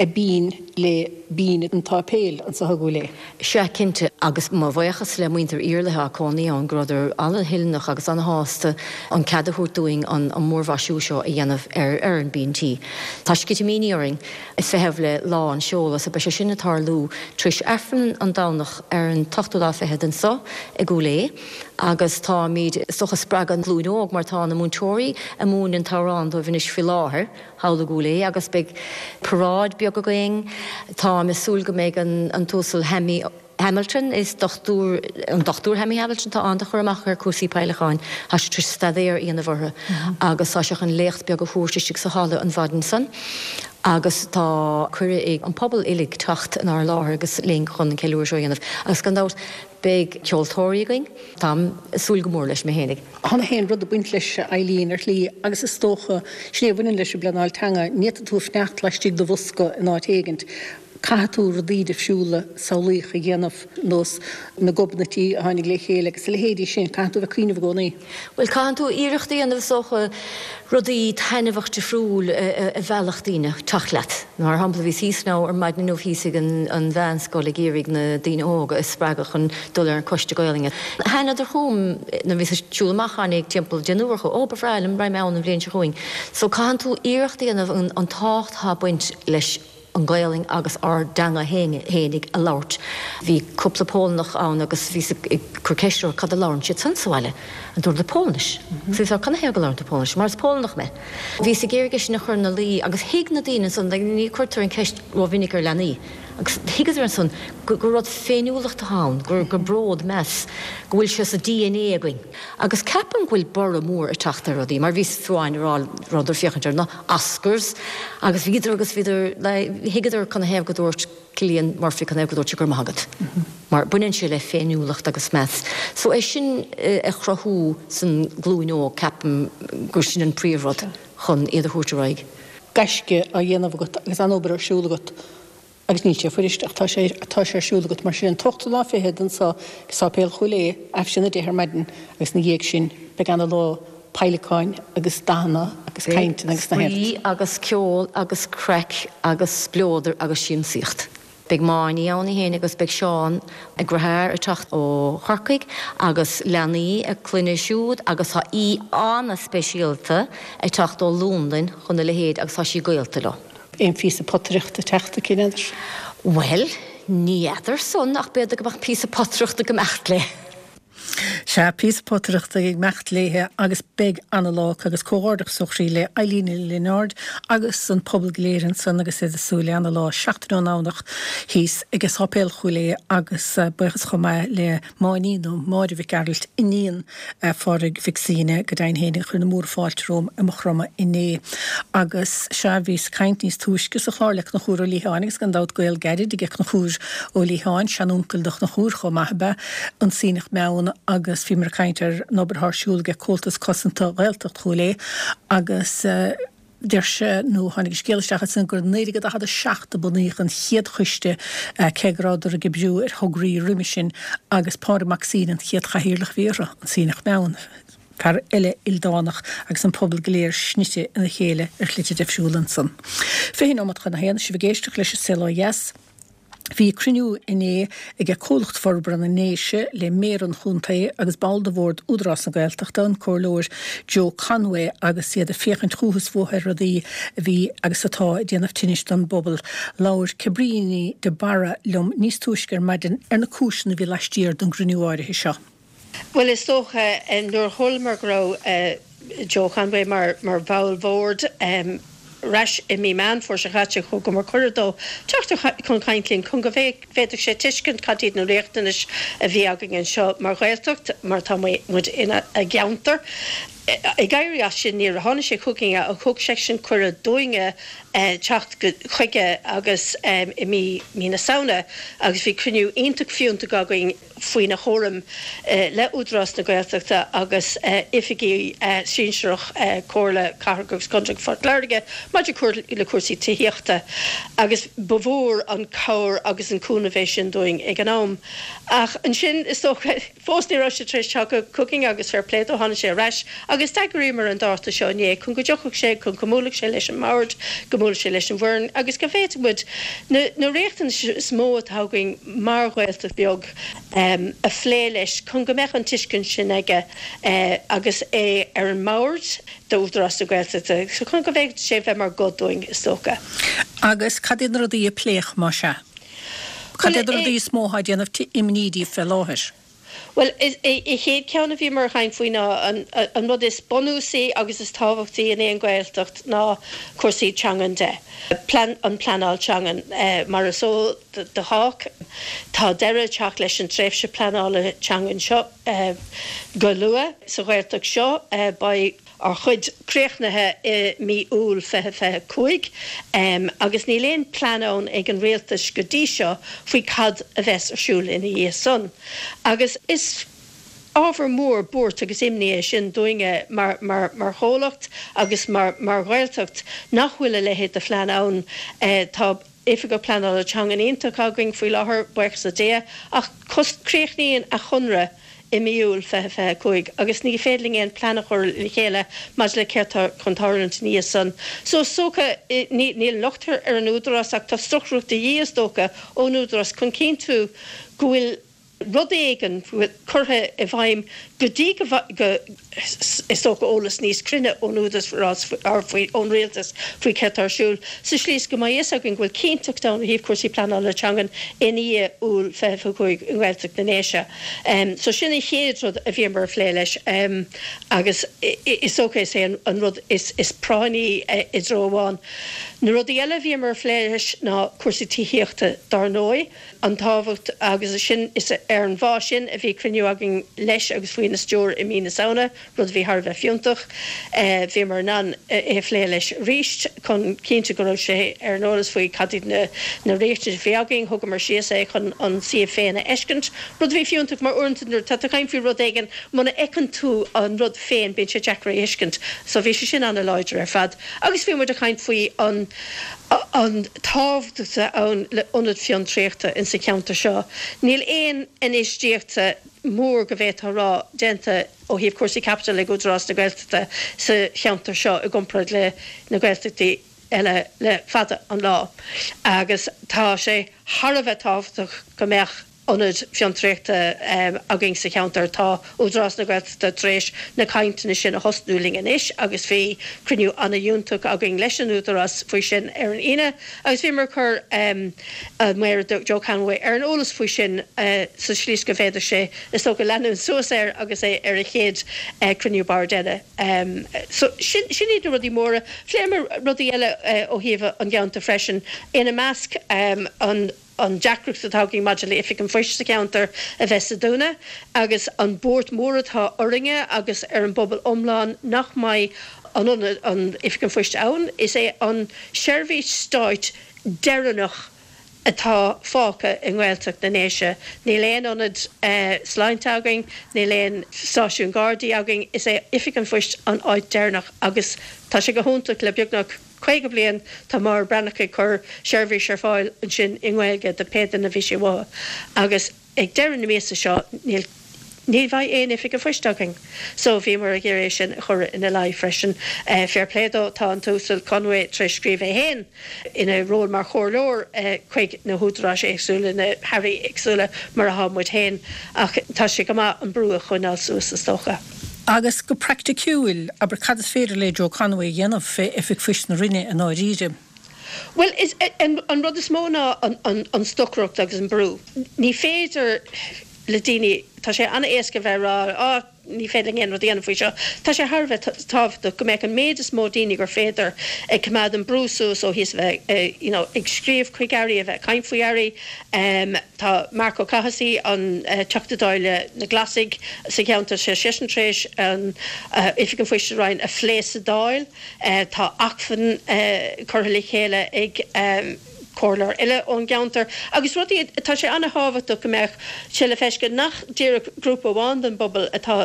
a binn le binn an tsáipéil anso i gCúil Aodha. Sea, cinnte, agus mo bhaochas le muintir Iarlaithe atá cónaí ann, go rabhadar an-thoilneach agus an-shásta an cead a thabhairt dúinn an múrmhaisiú seo a dhéanamh ar ar an binn tí. Tá sceitimíní orainn ag feitheamh le lá an seoladh, so beidh sé sin ag tarlú tar éis Aifreann an Domhnach ar an t-ochtú lá fichead anso i gCúil Aodha, agus táimid, is dócha, ag spreagadh an ghlúin óg mar tá na múinteoirí ag múineadh an t-amhrán dóibh anois faoi láthair. thall i gCúil Aodha agus beidh paráid beag againn. Táim ag súil go mbeidh an tUasal Haimi. Hamilton, is dochtúir, an Dochtúir Hammy Hamilton, tá an-chur amach ar cúrsaí peidhleacháin, tá sé tar éis staidéar a dhéanamh orthu agus tá sé chun léacht beag a thabhairt istigh sa halla an mhaidin san agus tá cuireadh ag an pobal uilig teacht inár láthair agus linn chun an ceiliúradh seo a dhéanamh agus gan dabht beidh ceoltóirí againn. Táim ag súil go mór leis mé fhéinig. Tá na haon rud ag baint leis, a Eileen, ar shlí, agus is dócha, sin é a bhaineann leis an bpleanáil teanga, ní fhéadfaidh tú fanacht laistigh de bhosca in áit éigint. Caithfidh tú rudaí difriúla, samhlaíocha a dhéanamh, nós na gobnaití a tháinig le chéile agus a leithéidí sin, caithfidh tú a bheith ag cuimhneamh i gcónaí. Bhuel, caitheann tú iarracht a dhéanamh is dócha rudaí taitneamhach difriúil a mheallfadh daoine teacht leat. Mar shampla, bhíos thíos now ar maidin inniu thíos ag an mheánscoil ag iarraidh na daoine óga a spreagadh chun dul ar an coiste Gaolainne. Thánadar chugam nuair a bhíos ag siúl amach, tháinig timpeall deichniúr acu, 'Ó, ba bhreá liom, raghaidh mé ann an bhliain seo chugainn. So caitheann tú iarracht a dhéanamh an tábhacht atá ag baint leis an Ghaolainn agus ár dteanga fhéinig a labhairt. Bhí cúpla Polannach ann agus bhíos ag cur ceist orthu cad a labhrann siad san sa bhaile. An dúradar Polainnis. Agus bhíos ag rá canathaobh go labhrann tú Polainnis? Mar is Polannach mé. Bhíos ag iarraidh é sin a chur ina luí agus thuig na daoine ansan, ní cuirtear an ceist rómhinic ar leanaí, agus thuigeadar ansan gur rud féiniúlacht atá ann, gur bród, meas, go bhfuil sé sa DNA againn. Agus ceapaim go bhfuil borradh mór ag teacht ar rudaí, mar bhíos fiú amháin ag rá rabhadar ag féachaint ar na Oscars agus bhíodar agus bhíodar, thuigeadar canathaobh go dúirt Cillian Murphy, canathaobh go dúirt sé go raibh maith agat. Mar baineann sé le féiniúlacht agus meas. So é sin a chruthú san glúin óg, ceapaim gur sin an príomhrud chun iad a thabhairt ar aghaidh. Gaisce á dhéanamh agat agus an-obair ar siúl agat. Agus níl sé fuirist, ach tá sé, tá sé ar siúl agat. Mar sin, an t-ochtú lá fichead anso ag Sáipéal Chúil Aodha, aimsir a 10 ar maidin, agus ina dhiaidh sin, beidh ana lá peidhleacáin agus dathanna agus cainteanna agus na Beidh spraoi agus ceol agus craic agus spleodar agus siamsaíocht. Beidh Máiní ann í fhéin agus beidh Seán a deartháir ag teacht ó Chorcaigh agus leanaí a clainne siúd agus tá aoi ana-speisialta ag teacht ó Londain chun a leithéid agus tá sí gaolta leo. Aon phíosa potaireachta ag teacht aici, n'fheadar? Bhuel, ní fheadar san, ach b'fhéidir go mbeadh píosa potaireachta ag imeacht léi. Sea, píosa potaireachta ag imeacht léithe agus beidh ana-lá acu agus comhghairdeachas ó chroí le Eileen Ní Lionáird agus an pobal go léir ansan agus iad ag súil le ana-lá seachtain ón nDomhnach thíos ag Sáipéal Chúil Aodha agus buíochas chomh maith le Máiní nó Máire Mhic Gearailt, iníon Phádraig Mhic Suibhne, go deimhin féin, a chuir na múra fáilte romham i Maigh Chromtha inné. Agus sea, bhíos ag caint níos túisce sa chlár le Conchúr Ó Liatháin agus gan dabht gaol gairid aige Conchúr Ó Liatháin, seanuncail do Chonchúr chomh maith ab ea an Sionnach Meann agus bhíomar ag caint ar an obair atá ar siúl aige Comhaltas Cosanta Ghaeltacht Chúil Aodha agus Deir sé, nó tháinig an scéal isteach ansin, gur i 1947 a bunaíodh an chéad choiste, cé go rabhadar ag oibriú ar thograí roimhe sin, agus Pádraig Mac Suibhne an chéad chathaoirleach a bhí orthu, an Sionnach Meann, fear eile ildánach agus an pobal go léir snite ina chéile ar shlite difriúla ansan. 20 nóiméad chun a haon, sibh ag éisteacht leis An Saol Ó Dheas. Bhí cruinniú inné ag Comhlacht Forbartha na nDéise le Méara an chontae agus ball de bhord Údarás na Gaeltachta, an Comhairleoir Joe Conway agus iad ag féachaint chúthu is fúthu ar rudaí a bhí agus atá ag déanamh tinnis don bpobal. Labhair Cabríní de Barra liom níos túisce ar maidin ar na cúiseanna a bhí laistiar den gcruinniú áirithe seo. Bhuel, is dócha, nuair a chualamar go raibh Joe Conway mar bhall bhoird ar ais i mí Meán Fómhair seo chaite, thugamar cuireadh dó teacht chun caint linn chun go bhféadfadh sé tuiscint cad iad na riachtanais a bhí againn anseo mar Ghaeltacht, mar tá muid ina gceantar. Ag éirí as sin, nuair a tháinig sé chugainn ach thug seisean cuireadh dúinne teacht chuige agus i mí na Samhna agus bhí cruinniú iontach fiúntach againn. faoina chúram le Údarás na Gaeltachta agus oifigigh sinsearach Comhairle Cathrach agus Contae Phort Láirge maidir le cúrsaí tithíochta agus ba mhór an cabhair agus an cúnamh é sin dúinn ag an am. Ach ansin, is dócha, fós ní raibh sé tar éis teacht chugainn agus fair play dó, tháinig sé ar ais agus d'eagraíomar an dáta seo inné chun go dtiocfadh sé, chun go mbuailfeadh sé leis an mbord, go mbuailfeadh sé leis an bhfoireann agus go bhféadfadh muid na riachtanais is mó atá againn mar Ghaeltacht bheag a phlé leis chun go mbeadh an tuiscint sin aige agus é ar an mbord d'Údarás na Gaeltachta, chun go bhféadfadh sé bheith mar ghuth dúinn, is dócha. Agus cad iad na rudaí a pléadh, más ea? Cad iad na rudaí is mó atá ag déanamh imní díbh fé láthair? Bhuel, an chéad cheann a bhíomar ag caint faoi ná an rud is bunúsaí agus is tábhachtaí in aon Ghaeltacht ná cúrsaí teangan de, an pleanáil teangan. Mar is eol do chách, tá deireadh ag teacht leis an tréimhse pleanála teangan seo go luath sa Ghaeltacht seo. Beidh. ár chuid críochnaithe i mí Iúil 2025 agus níl aon plean ann ag an Rialtas go dtí seo faoi cad a bheas ar siúl ina dhiaidh san. Agus is ábhar mór buairt agus imní é sin dúinne mar mar chomhlacht agus mar mar Ghaeltacht nach bhfuil a leithéid de phlean ann. Tá Oifigeach Pleanála Teangan iontach againn faoi láthair, buíochas le Dia, ach críochnaíonn a chonradh i mí Iúil 2025 agus ní féidir linn aon plean a chur le chéile maidir le céard tá chun tarlúint ina dhiaidh san. So is dócha, níl an locht ar an Údarás ach tá stocaireacht de dhíth is dócha ón Údarás chun cinntiú go bhfuil rud éigin curtha i bhfeidhm go dtí go is dócha eolas níos cruinne ón Údarás faoi ón Rialtas faoi céard tá ar siúl sa slí is go mbeidh fhios againn go bhfuil cinnteacht ann ó thaobh cúrsaí pleanála teangan i ndiaidh Iúil 25 i nGaeltacht na nDéise. So sin an chéad rud a bhíomar ag plé leis agus is dócha is é an rud is práinní i dtreo amháin. Na rudaí eile a bhíomar ag plé leis ná cúrsaí tithíochta dár ndóigh. an tábhacht agus sin is ar an bhfáth sin a bhí cruinniú againn leis agus faoina stiúir i mí na Samhna, rud a bhí thar a bheith fiúntach. Bhíomar in ann é a phlé leis arís chun cinntiú go raibh sé ar an eolas faoi cad iad na na riachtanais a bhí againn. Thugamar síos é chun an suíomh féin a fheiscint, rud a bhí fiúntach mar uaireanta nuair atá tú ag caint faoi rud éigin muna fheiceann tú an rud féin bíonn sé deacair é a thuiscint. So bhí sé sin ana-láidir ar fad. Agus bhí muid ag caint faoi an an tábhacht atá ann le ionad fiontraíochta in sa cheantar seo. Níl aon infheistíocht mór go bhféadfá a rá déanta ó thaobh cúrsaí caipitil ag Údarás na Gaeltachta sa cheantar seo i gcomparáid le na Gaeltachtaí eile le fada an lá agus tá sé thar a bheith tábhachtach go mbeadh ionad fiontraíochta againn sa cheantar. Tá Údarás na Gaeltachta tar éis na cainteanna sin a thosnú linn anois agus bhí cruinniú an-fhiúntach againn leis an Údarás faoi sin ar an Aoine agus bhíomar ag cur an Méara Joe Conway ar an eolas faoi sin sa slí is go bhféadfadh sé is dócha leanúint suas air agus é ar a chéad cruinniú boird eile. So sin iad na rudaí móra. Phléamar rudaí eile ó thaobh an gceantar freisin, ina measc an. an deacracht atá againn maidir le Oifig an Phoist sa cheantar a bheith sa dúnadh agus an buairt mhór atá orainne agus ar an bpobal iomlán nach mbeidh an ionad, an Oifig an Phoist ann. Is é an seirbhís stáit deireanach atá fágtha i nGaeltacht na nDéise. Níl aon ionad sláinte againn, níl aon stáisiún Gardaí againn, is é Oifig an Phoist an áit deireanach agus tá sé go hiontach le beagnach 50 bliain tá Máire Breathnach ag cur seirbhís ar fáil ansin i nGaeilge do pé duine a bhí sé uathu agus ag deireadh na míosa seo níl ní bheidh aon oifig an phoist againn. So bhíomar ag iarraidh é sin a chur ina luí freisin. Fair play dó, tá an tUasal Conway tar éis scríobh é féin ina ról mar chomhairleoir chuig na húdaráis éagsúla, na hairí éagsúla mar atá muid féin ach tá sé go maith an brú a choinneáil suas is dócha. Agus go praiticiúil, abair, cad is féidir le Joe Conway a dhéanamh fé Oifig Phoist na Rinne i ndáiríre? Bhuel, is an rud is mó ná an stocaireacht agus an brú. Ní féidir le daoine, tá sé an-éasca bheith ag rá, á, ní féidir linn aon rud a dhéanamh faoi seo. Tá sé thar a bheith tábhachtach go mbeadh an méid is mó daoine gur féidir ag coimeád an brú suas ó thíos, a bheith, you know, ag scríobh chuig airí, a bheith ag caint faoi airí. Tá Marc Ó Cathasaigh, an Teachta Dála na Glasaigh sa cheantar, tá seisean tar éis an Oifig an Phoist sa Rinn a phlé sa Dáil. Tá acmhainn curtha le chéile ag comhairleoir eile ón gceantar agus rudaí, tá sé an-thábhachtach go mbeadh sé le feiscint nach díreach grúpa amháin den bpobal atá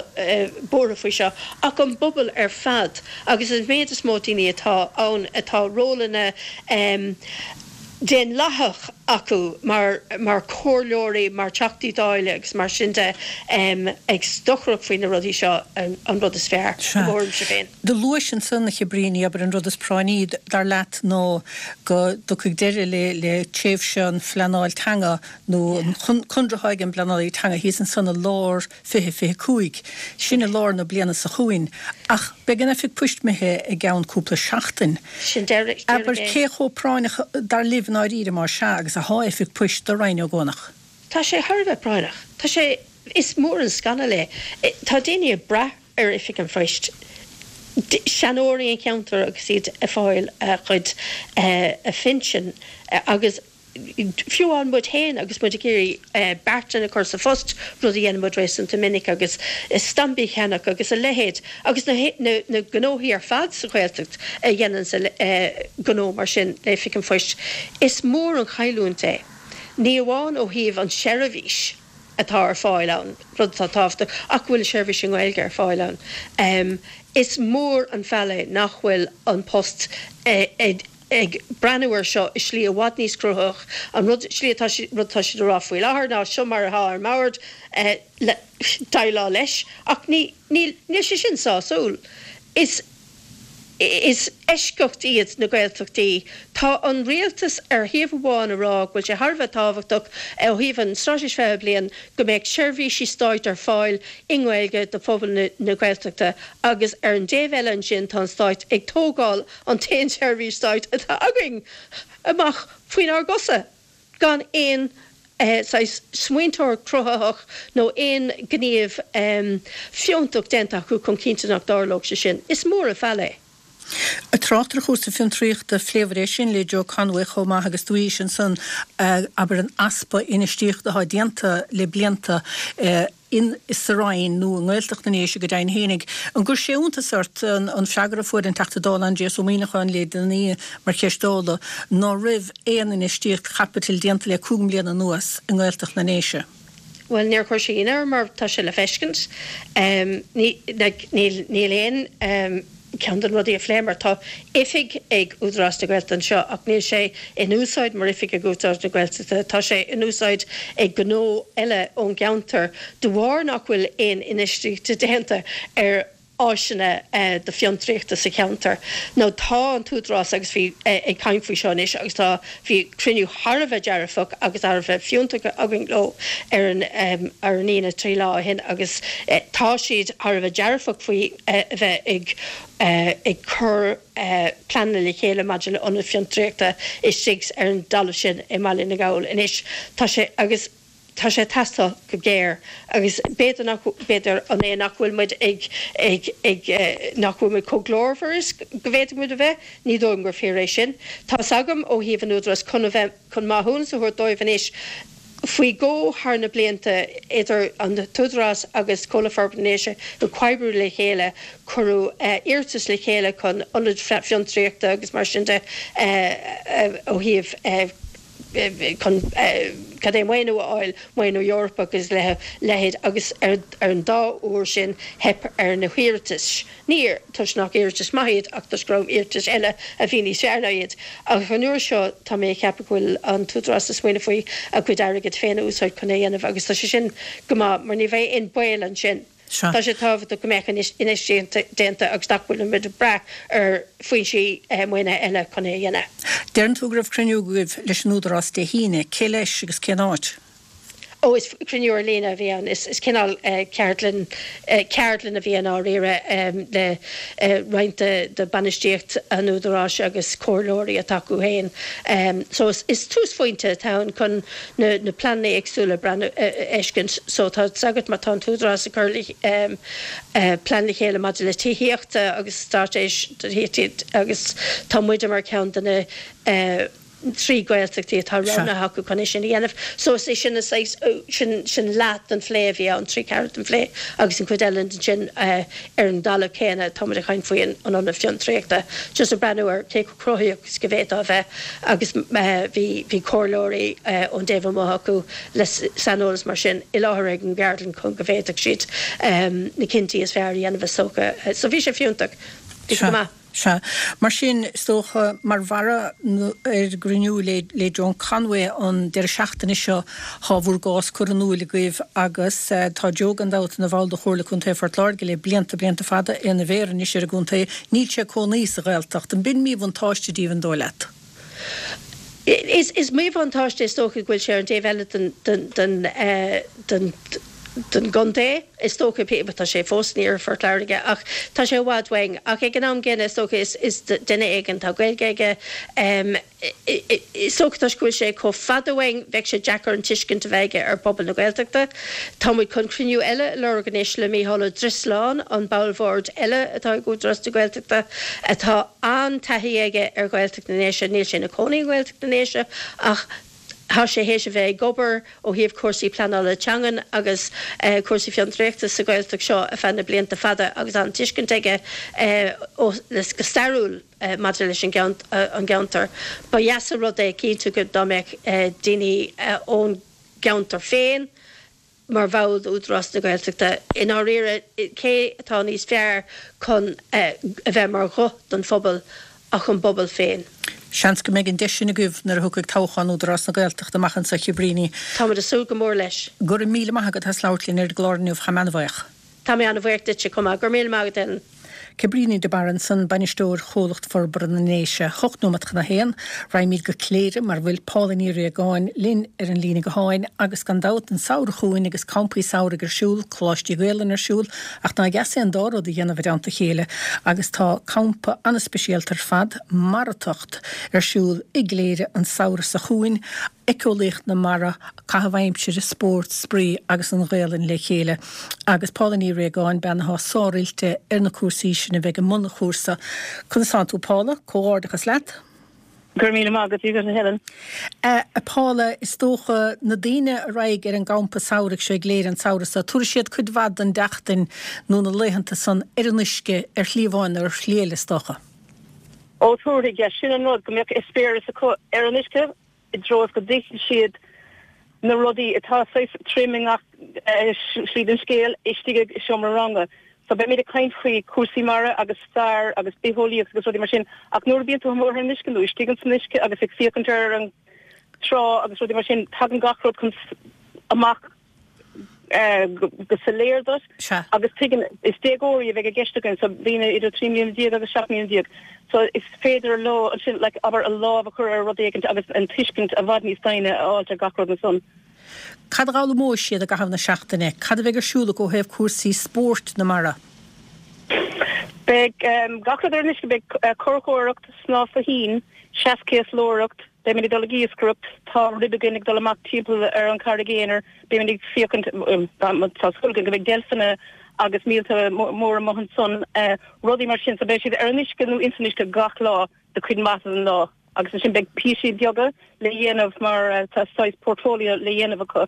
buartha faoi seo ach an bpobal ar fad agus an méid is mó daoine atá ann atá rólanna daonlathach acu mar mar chomhairleoirí, mar Theachtaí Dála agus mar sin de ag stocaireacht faoi na rudaí seo an rud is fearr, i mo thuairimse féin. Do luais ansan, a Chabríní, abair an rud is práinní, dar leat, ná go dtiocfaidh deireadh le le tréimhse an phleanáil teanga nó an conradh atá ag an bpleanálaí teanga thíos ansan i lár 2025. Sin i lár na bliana seo chugainn. Ach beidh an Oifig Poist imithe i gceann cúpla seachtain. Sin deireadh Abair, cé chomh práinneach, dar libh i ndáiríre, más ea, agus athá Oifig Poist do Rinn Ó gCuanach? Tá sé thar a bheith práinneach. Tá sé. Is mór an scannal é. Tá daoine ag brath ar Oifig an Phoist, seanóirí an cheantair agus iad ag fáil a gcuid phinsean agus fiú amháin muid féin agus muid ag iarraidh beartain a chur sa phost, rud a dhéanann muid réasúnta minic, agus stampaí a cheannach agus a leithéid agus na gnóthaí ar fad sa Ghaeltacht a dhéananns gnó mar sin le Oifig an Phoist, is mór an chailliúint é. Ní amháin ó thaobh an seirbhís atá ar fáil ann, rud atá tábhachtach, ach go bhfuil an seirbhís i nGaeilge ar fáil ann. Is mór an feall é nach bhfuil An Post ag breathnú air seo i slí i bhfad níos cruthaitheach. An rud, slí atá, rud atá siad a rá faoi láthair ná seo mar atá ar an mbord, déileáil leis, ach ní, níl, níl sé sin sásúil. Is. Is eisceacht iad na Gaeltachtaí. Tá an rialtas ar thaobh amháin a rá go bhfuil sé thar a bheith tábhachtach ó thaobh an Straitéis 20 Bliain go mbeadh seirbhísí stáit ar fáil i nGaeilge do phobal na Gaeltachta agus ar an dtaobh eile ansin tá an stáit ag tógáil an t-aon seirbhís stáit atá againn amach faoinár gcosa. gan aon saghas smaointeoireacht chruthaitheach nó aon ghníomh fiúntach déanta acu chun cinntiú nach dtarlódh sé sin. Is mór an feall é. Ag trácht ar chúrsaí fiontraíochta, phléamar é sin le Joe Conway chomh maith agus dúirt sé ansan, abair, an easpa infheistíochta atá déanta le blianta in sa Rinn nó i nGaeltacht na nDéise go deimhin fhéinig. An gcuir sé iontas ort an freagra a fuair an Teachta Dála Aindrias Ó Muimhneacháin le déanaí mar cheist Dála ná raibh aon infheistíocht chaipitil déanta le 5 mbliana anuas i nGaeltacht na nDéise? Bhuel, níor chuir sé ionadh orm mar tá sé le feiscint. Níl aon. Ceann de na rudaí a phléamar, tá oifig ag Údarás na Gaeltachta anseo ach níl sé in úsáid mar oifig ag Údarás na Gaeltachta, tá sé in úsáid ag gnó eile ón gceantar de bharr nach bhfuil aon infheistíocht déanta ar áiseanna do fiontraíochta sa cheantar. Now tá an tÚdarás agus bhí ag caint faoi seo anois agus tá bhí cruinniú thar a bheith dearfach agus thar a bheith fiúntach againn leo ar an ar an Aoine 3 lá ó shin agus tá siad thar a bheith dearfach faoi a bheith ag ag cur pleananna le chéile maidir le ionad fiontraíochta istigh ar an dtalamh sin i mBaile na nGall. Anois tá sé agus tá sé ag teastáil go géar agus b'fhéidir nach b'fhéidir an é nach bhfuil muid ag ag ag nach bhfuil muid chomh glórmhar is go bhféadfadh muid a bheith, ní dóigh liom gur fíor é sin. Tá's agam ó thaobh an Údarás chun a bheith chun maithiúnas a thabhairt dóibh anois faoi dhó thar na blianta, idir an tÚdarás agus Comhlucht Forbartha na nDéise ag comhoibriú le chéile, cuireadh iarratas le chéile chun ionaid fiontraíochta agus mar sin de ó thaobh chun cad é maoiniú a fháil, maoiniú Eorpach agus a leithéid agus ar an dá uair sin theip ar na hiarratais. Ní toisc nach iarratais maith iad ach toisc go raibh iarratais eile a bhí níos fearr ná iad. Ach an uair seo tá mé ag ceapadh go bhfuil an tÚdarás ag smaoineamh faoi a gcuid airgid féin a úsáid chun é a dhéanamh agus tá sé sin go maith mar ní bheidh aon baol ansin. Sea. Tá sé tábhachtach go mbeadh infheistíocht déanta agus nach bhfuil muid ag brath ar foinsí maoinithe eile chun é a dhéanamh. Deireann tú go raibh cruinniú agaibh leis an Údarás Dé hAoine. Cé leis agus cén áit? Ó, is cruinniú ar líne a bhí ann. Is cineál ceardlann, ceardlann a bhí ann dáiríre le roinnt de bainistíocht an Údaráis agus comhairleoirí atá acu féin. So is túsphointe atá ann chun na pleananna éagsúla a fheiscint. So tá 's agat má tá an tÚdarás ag cur plean le chéile maidir le tithíochta agus straitéis do thithíocht agus tá muide mar cheann de na 3 Gaeltachtaí atá roghnaithe acu chun é sin a dhéanamh. So is é sin an saghas, sin, sin leath den phlé a bhí ann, trí ceathrú den phlé agus an chuid eile ansin ar an dtalamh céanna, tá muid ag caint faoi an ionad fiontraíochta, just ag breathnú ar cé chomh cruthaitheach is go bhféadfá a bheith agus bhí, bhí comhairleoirí ón dtaobh amuigh acu le saineolas mar sin i láthair ag an gceardlann chun go bhféadfadh siad na cinntí is fearr a dhéanamh is dócha. So bhí sé fiúntach. Bhí sé go maith. Sea. Mar sin, is dócha, mar bharra ar an gcruinniú le Joan Conway an deireadh seachtaine seo, tá bhur gcás curtha in iúil agaibh agus tá Joe gan dabht ina bhall de Chomhairle Contae Phort Láirge le blianta, blianta fada, é ina mhéara anois ar an gcontae. Níl sé ag cónaí sa Ghaeltacht. An b'in míbhuntáiste díobh, an dóigh leat? Is míbhuntáiste is dócha go bhfuil sé ar an dtaobh eile den, den, den, den. don gcontae, is dócha, tá sé fós in iarthar Phort Láirge ach tá sé i bhfad uainn. Ach ag an am gcéanna, is dócha, is duine éigin, tá Gaeilge aige, is dócha toisc go bhfuil sé chomh fada uainn, bheadh sé deacair an tuiscint a bheith aige ar phobal na Gaeltachta. Tá muid chun cruinniú eile a lorg anois le Mícheál Ó Drisleáin, an ball bhoird eile atá ag Údarás na Gaeltachta, atá an-taithí aige ar Ghaeltacht na nDéise, níl sé ina chónaí i nGaeltacht na nDéise ach, Tá sé théis a bheith ag obair ó thaobh cúrsaí pleanála teangan agus cúrsaí fiontraíochta sa Ghaeltacht seo ar feadh na blianta fada agus an-tuiscint aige ó go stairiúil maidir leis an gceantar. Ba dheas an rud é cinnte go dá mbeadh daoine ón gceantar féin mar bhall d'Údarás na Gaeltachta. I ndáiríre, cé atá níos fearr chun a bheith mar ghuth don phobal ach an bpobal féin? Seans go mbeidh an deis sin agaibh nuair a thiocfaidh toghchán Údarás na Gaeltachta amach anseo, a Chabríní. Táimid ag súil go mór leis. Go raibh míle maith agat as labhairt linn ar an gclár inniu, táim an-bhuíoch. Tá mé an-bhuíoch duitse chomh maith. Go raibh míle maith agat, Ellen. Cabríní de Barra ansan, Bainisteoir Chomhlacht Forbartha na nDéise. 8 nóiméad chun a haon. Raghaimid go Cléire mar a bhfuil Paula Ní Riagáin linn ar an líne gutháin agus gan dabht an samhradh chugainn agus campaí samhraidh ar siúl, coláistí Gaelainne ar siúl ach nár dheas é an dá rud a dhéanamh i dteannta a chéile agus tá campa an-speisialta ar fad, Maratacht, ar siúl i gCléire an samhradh seo chugainn, éiceolaíocht na mara, caitheamh aimsire, spórt, spraoi agus an Ghaelainn le chéile. Agus Paula Ní Riagáin, bean athá sár-oilte ar na cúrsaí sin, a bheidh i mbun an chúrsa. Conas tánn tú Paula? Comhghairdeachas leat. Go raibh míle maith agat, a Helen. A Paula, is dócha, na daoine a raghaidh ar an gcampa samhraidh seo i gCléire an samhradh seo, tabharfaidh siad cuid mhaith den tseachtain nó na laethanta san ar an uisce, ar shlí amháin nó ar shlí eile, is dócha. Ó, tabharfaidh, yeah. Sin an rud, go mbeadh eispéireas acu ar an uisce. i dtreo is go dtuigfidh siad na rudaí atá saghas trom i ngach slí den scéal istigh i seomra ranga. So beimid ag caint faoi cúrsaí mara agus stair agus bitheolaíocht agus rudaí mar sin ach nuair a bíonn tú amuigh ar an uisce nó istigh ins an uisce agus ag féachaint ar an trá agus rudaí mar sin tagann gach rud chun amach go soiléir duit agus tuigeann, is déagóirí a bheidh i gceist againn, so daoine idir 13 mbliana agus 17 mbliana so is féidir leo ansin like abair a lámh a chur ar rud éigint agus an tuiscint i bhfad níos doimhne a fháilt ar gach rud ansan. Cad a dh'fhoghlaimeoidh siad i gcaitheamh na seachtaine? Cad a bheidh ar siúl acu ó thaobh cúrsaí spóirt na mara? Beidh gach rud ar an uisce, beidh curachóireacht, snámh fo thoinn, seaschéaslóireacht, Beimid ag dul ag iascaireacht, tá rib againn ag dul amach timpeall ar an Charraig Aonair, beimid ag féachaint, tá súil againn go mbeidh deilfeanna agus míolta móra amuigh ansan, rudaí mar sin. So beidh siad ar an uisce nó ins an uisce gach lá do chuid maith den lá agus ansin beidh píosaí beaga le dhéanamh mar tá saghas portfolio le dhéanamh acu.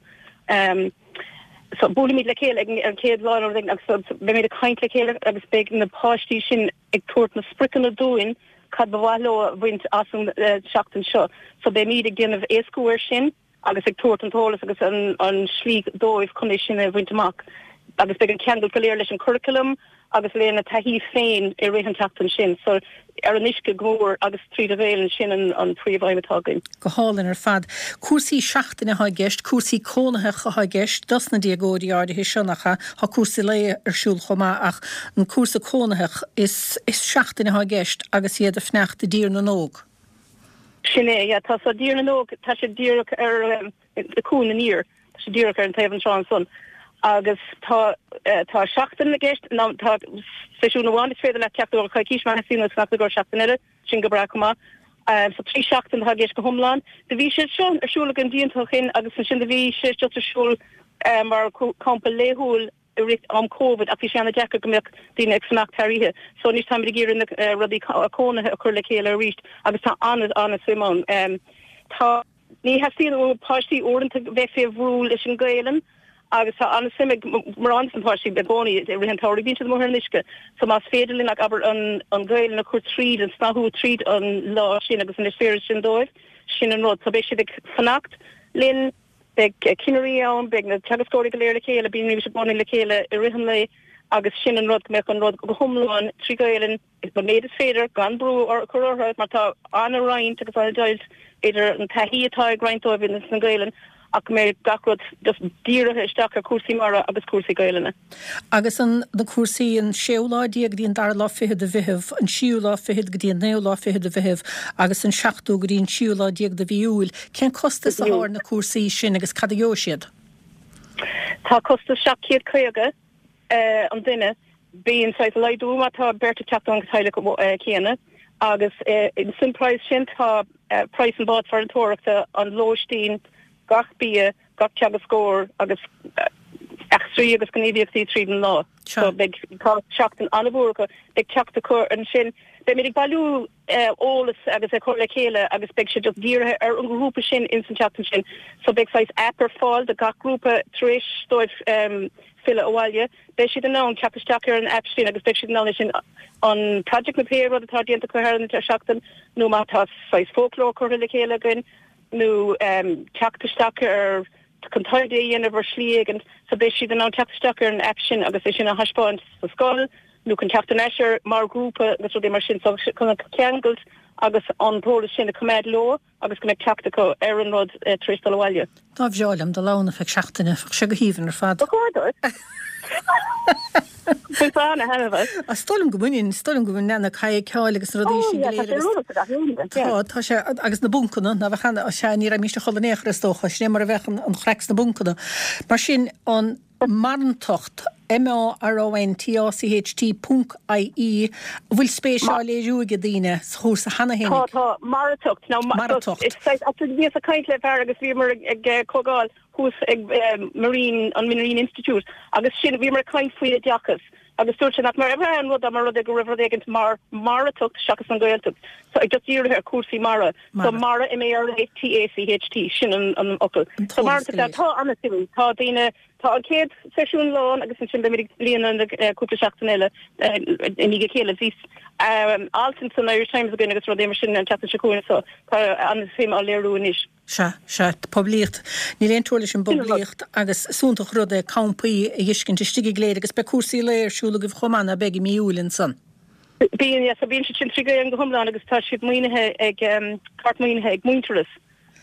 So buailfimid le chéile ag an chéad lá nó rud éigin agus beimid ag caint le chéile agus beidh na páistí sin ag tabhairt na spriocanna dúinn cad ba mhaith leo a bhaint as an seachtain seo. So beimid ag déanamh éascú air sin agus ag tabhairt an t-eolas agus an slí dóibh chun é sin a bhaint amach. Agus beidh an ceangal go léir leis an curaclam agus lena taithí féin i rith an tseachtain sin. So ar an uisce go mór agus tríd an Ghaelainn, sin an príomh-aidhm atá againn. Go hálainn ar fad. Cúrsaí seachtaine atá i gceist, cúrsaí cónaitheacha atá i gceist dos na déagóirí áirithe seo, nach ea? Tá cúrsaí lae ar siúl chomh maith ach an cúrsa cónaitheach, is seachtain atá i gceist agus iad ag fanacht i dTír na nÓg. Sin é, yeah. Tá so Tír na nÓg, tá sé díreach ar Cuan Aniar, tá sé díreach ar an taobh an trá ansan agus tá tá seachtain i gceist, nó tá seisiún amháin is féidir leat teacht i gcomhair coicís má theastaíonn uait fanacht i gcomhair seachtain eile, sin go breá chomh maith. So 3 seachtain atá i gceist go hiomlán. Do bhí sé seo ar siúl againn blianta ó shin agus ansin do bhí sé just ar siúl mar campa laethúil i rith am Covid ach bhí sé ana-deacair go mbeadh daoine ag fanacht thar oíche. So anois táimid ag iarraidh na rudaí cónaithe a chur le chéile arís agus tá ana-ana-suim ann. Tá. Ní theastaíonn ó páistí uaireanta bheith fé bhrú leis an Ghaelainn agus tá an-suim ag mórán de na páistí i gcónaí i rith an tsamhraidh bíonn siad amuigh ar an uisce so más féidir linn abair an an Ghaelainn a chur tríd an snathú tríd an lá sin agus an eispéireas sin dóibh sin an rud so beidh siad ag fanacht linn beidh cinnirí ann beidh na teagascóirí go léir le chéile bíonn i gcónaí le chéile i rith an lae agus sin an rud go mbeadh an rud go hiomlán trí Ghaelainn An méid is féidir, gan brú a chur orthu, mar tá an-roinnt agus an-deighilt idir an taithí atá ag roinnt dóibh ins an Ghaelainn ach go mbeidh gach rud just dírithe isteach ar chúrsaí mara agus cúrsaí Gaelainne. Agus an na cúrsaí an séú lá déag go dtí an dara lá fichead de Mheitheamh, an tríú lá fichead go dtí an naoú lá fichead de Mheitheamh agus an seachtú go dtí an tríú lá déag de mhí Iúil, cén costas atá ar na cúrsaí sin agus cad a gheobhaidh siad? Tá costas 750 an duine. Bíonn saghas laghdú má tá beirt ag teacht ón teaghlach céanna agus san praghas sin tá praghas an bád farantóireachta, an lóistín, gach bia, gach teagascóir agus eachtraí agus gníomhaíochtaí tríd an lá. So beidh, tá seachtain an-mhór acu. Beidh teacht acu ansin. Beimid ag bailiú eolas agus ag cur le chéile agus beidh sé just dírithe ar an ghrúpa sin ins an tseachtain sin. So beidh saghas app ar fáil do gach grúpa tar éis dóibh filleadh abhaile. Beidh siad in ann teacht isteach ar an app sin agus beidh siad in ann é sin an project nó pé rud atá déanta acu thar an seachtain nó má tá saghas foclóir curtha le chéile againn nó teacht isteach ar chun taighde a dhéanamh ar shlí éigin. So beidh siad in ann teacht isteach ar an app sin agus é sin a thaispeáint sa scoil nó chun teacht ar ais air mar ghrúpa agus rudaí mar sin. So chun an ceangailt agus an t-eolas sin a choimeád leo agus go mbeidh teacht acu ar an rud tar éis dul abhaile. Dá bhreá liom dul ann ar feadh seachtaine, bheadh sé go haoibhinn ar fad. Ba chóir duit. Bainfeá ana-thaitneamh as. Is dóigh liom go mbainfinn, is dóigh liom go mbainfinn, na kayakáil agus na rudaí sin go léir agus. Tá, tá sé, agus na buncanna, ná bheadh ana, sea, ní raghaimís a chodladh in aon chor is dócha, sin é mar a bheadh an chraic sna buncanna. Mar sin, an Marantacht, M-A-R-A-N-T-A-C-H-T ponc I-E, an bhfuil spéis á léiriú ag daoine sa chúrsa cheana féin? Tá, tá, Maratacht. Now, Maratacht. Is saghas, bhíos ag caint le fear agus bhíomar ag comhdháil thuas ag Marine, an Marine Institute agus sin, bhíomar ag caint faoi oideachas agus dúirt sé nach mar an rud dá mba rud é go raibh rud éigint mar Maratacht seachas an Ghaeltacht. So ag just dírithe ar chúrsaí mara. So mara, M-A-R-A-T-A-C-H-T, sin an an fhocal. So Maratacht, tá an-suim, tá daoine, tá an chéad seisiún lán agus ansin beimid ag líonadh na cúpla seachtain eile i ndiaidh a chéile. Bhí alt san Irish Times againn agus rudaí mar sin an tseachtain seo chugainn so tá an-suim á léiriú anois. Sea, sea, poiblíocht. Níl aon teora leis an bpoiblíocht agus is iontach an rud é campaí a dh'fheiscint istigh i gCléire agus beidh cúrsaí lae ar siúl agaibh chomh maith, ná beidh, i mí Iúil ansan? Bíonn, yeah, so bíonn siad sin 3 Gaeilge go hiomlán agus tá siad maoinithe ag, páirt maoinithe ag Muintearas.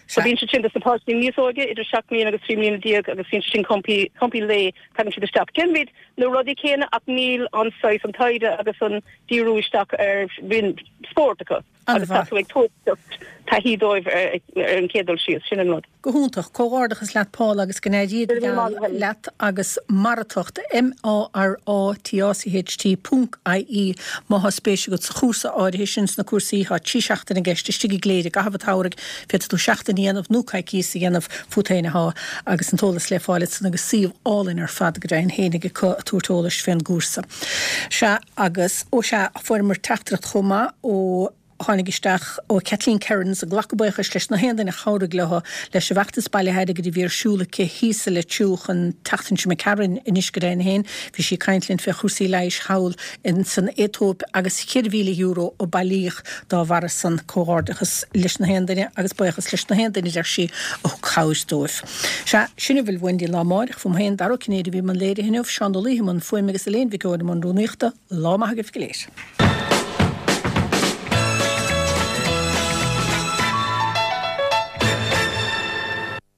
So bíonn siad sin dos na páistí níos óige, idir 7 mbliana agus 13 mbliana agus bíonn siad sin campaí, campaí lae, tagann siad isteach. Déanaimid na rudaí céanna ach níl an saghas, an taighde agus an díriú isteach ar, bíonn spórt acu. Agus tá tú ag tabhairt taithí dóibh ar an chéad dul síos, sin an rud. Go hiontach. Comhghairdeachas leat Paula agus go n-éirí go geal leat agus Maratacht, M-A-R-A-T-A-C-H-T ponc I-E má thá spéis agat sa chúrsa áirithe sin, sna cúrsaí, thá 3 seachtaine i gceist istigh i gCléire i gcaitheamh an tsamhraidh, féadfaidh tú seachtain a dhéanamh nó coicíos a dhéanamh, fút féin athá, agus an t-eolas le fáil ansan agus suíomh álainn ar fad go deimhin fhéinig acu ag tabhairt eolais fén gcúrsa. Sea. Agus, ó sea, fuaireamar teachtaireacht chomh maith ó, tháinig isteach ó Kathleen Kerins ag glacadh buíochais leis na haon duine a chabhraigh leo leis an bhfeachtas bailithe airgid a bhí ar siúl aici thíos i Leitir Fraic an tseachtain seo imigh tharainn anois go deimhin féin. Bhí sí ag caint linn fé chúrsaí leighis thall in san Aetóip agus €4,000 a bailíodh dá bharra san. Comhghairdeachas leis na haon duine agus buíochas leis na haon duine, a deir sí, a thug cabhair dóibh. Sea, sin a bhfuil uainn don lá amáireach. Fúm féin, Dara Ó Cinnéide a bhí i mbun léirithe inniu, Seán Ó Laoithe i mbun fuaime agus Elaine Mhic Eoin i mbun rúnaíochta. Lá maith agaibh go léir.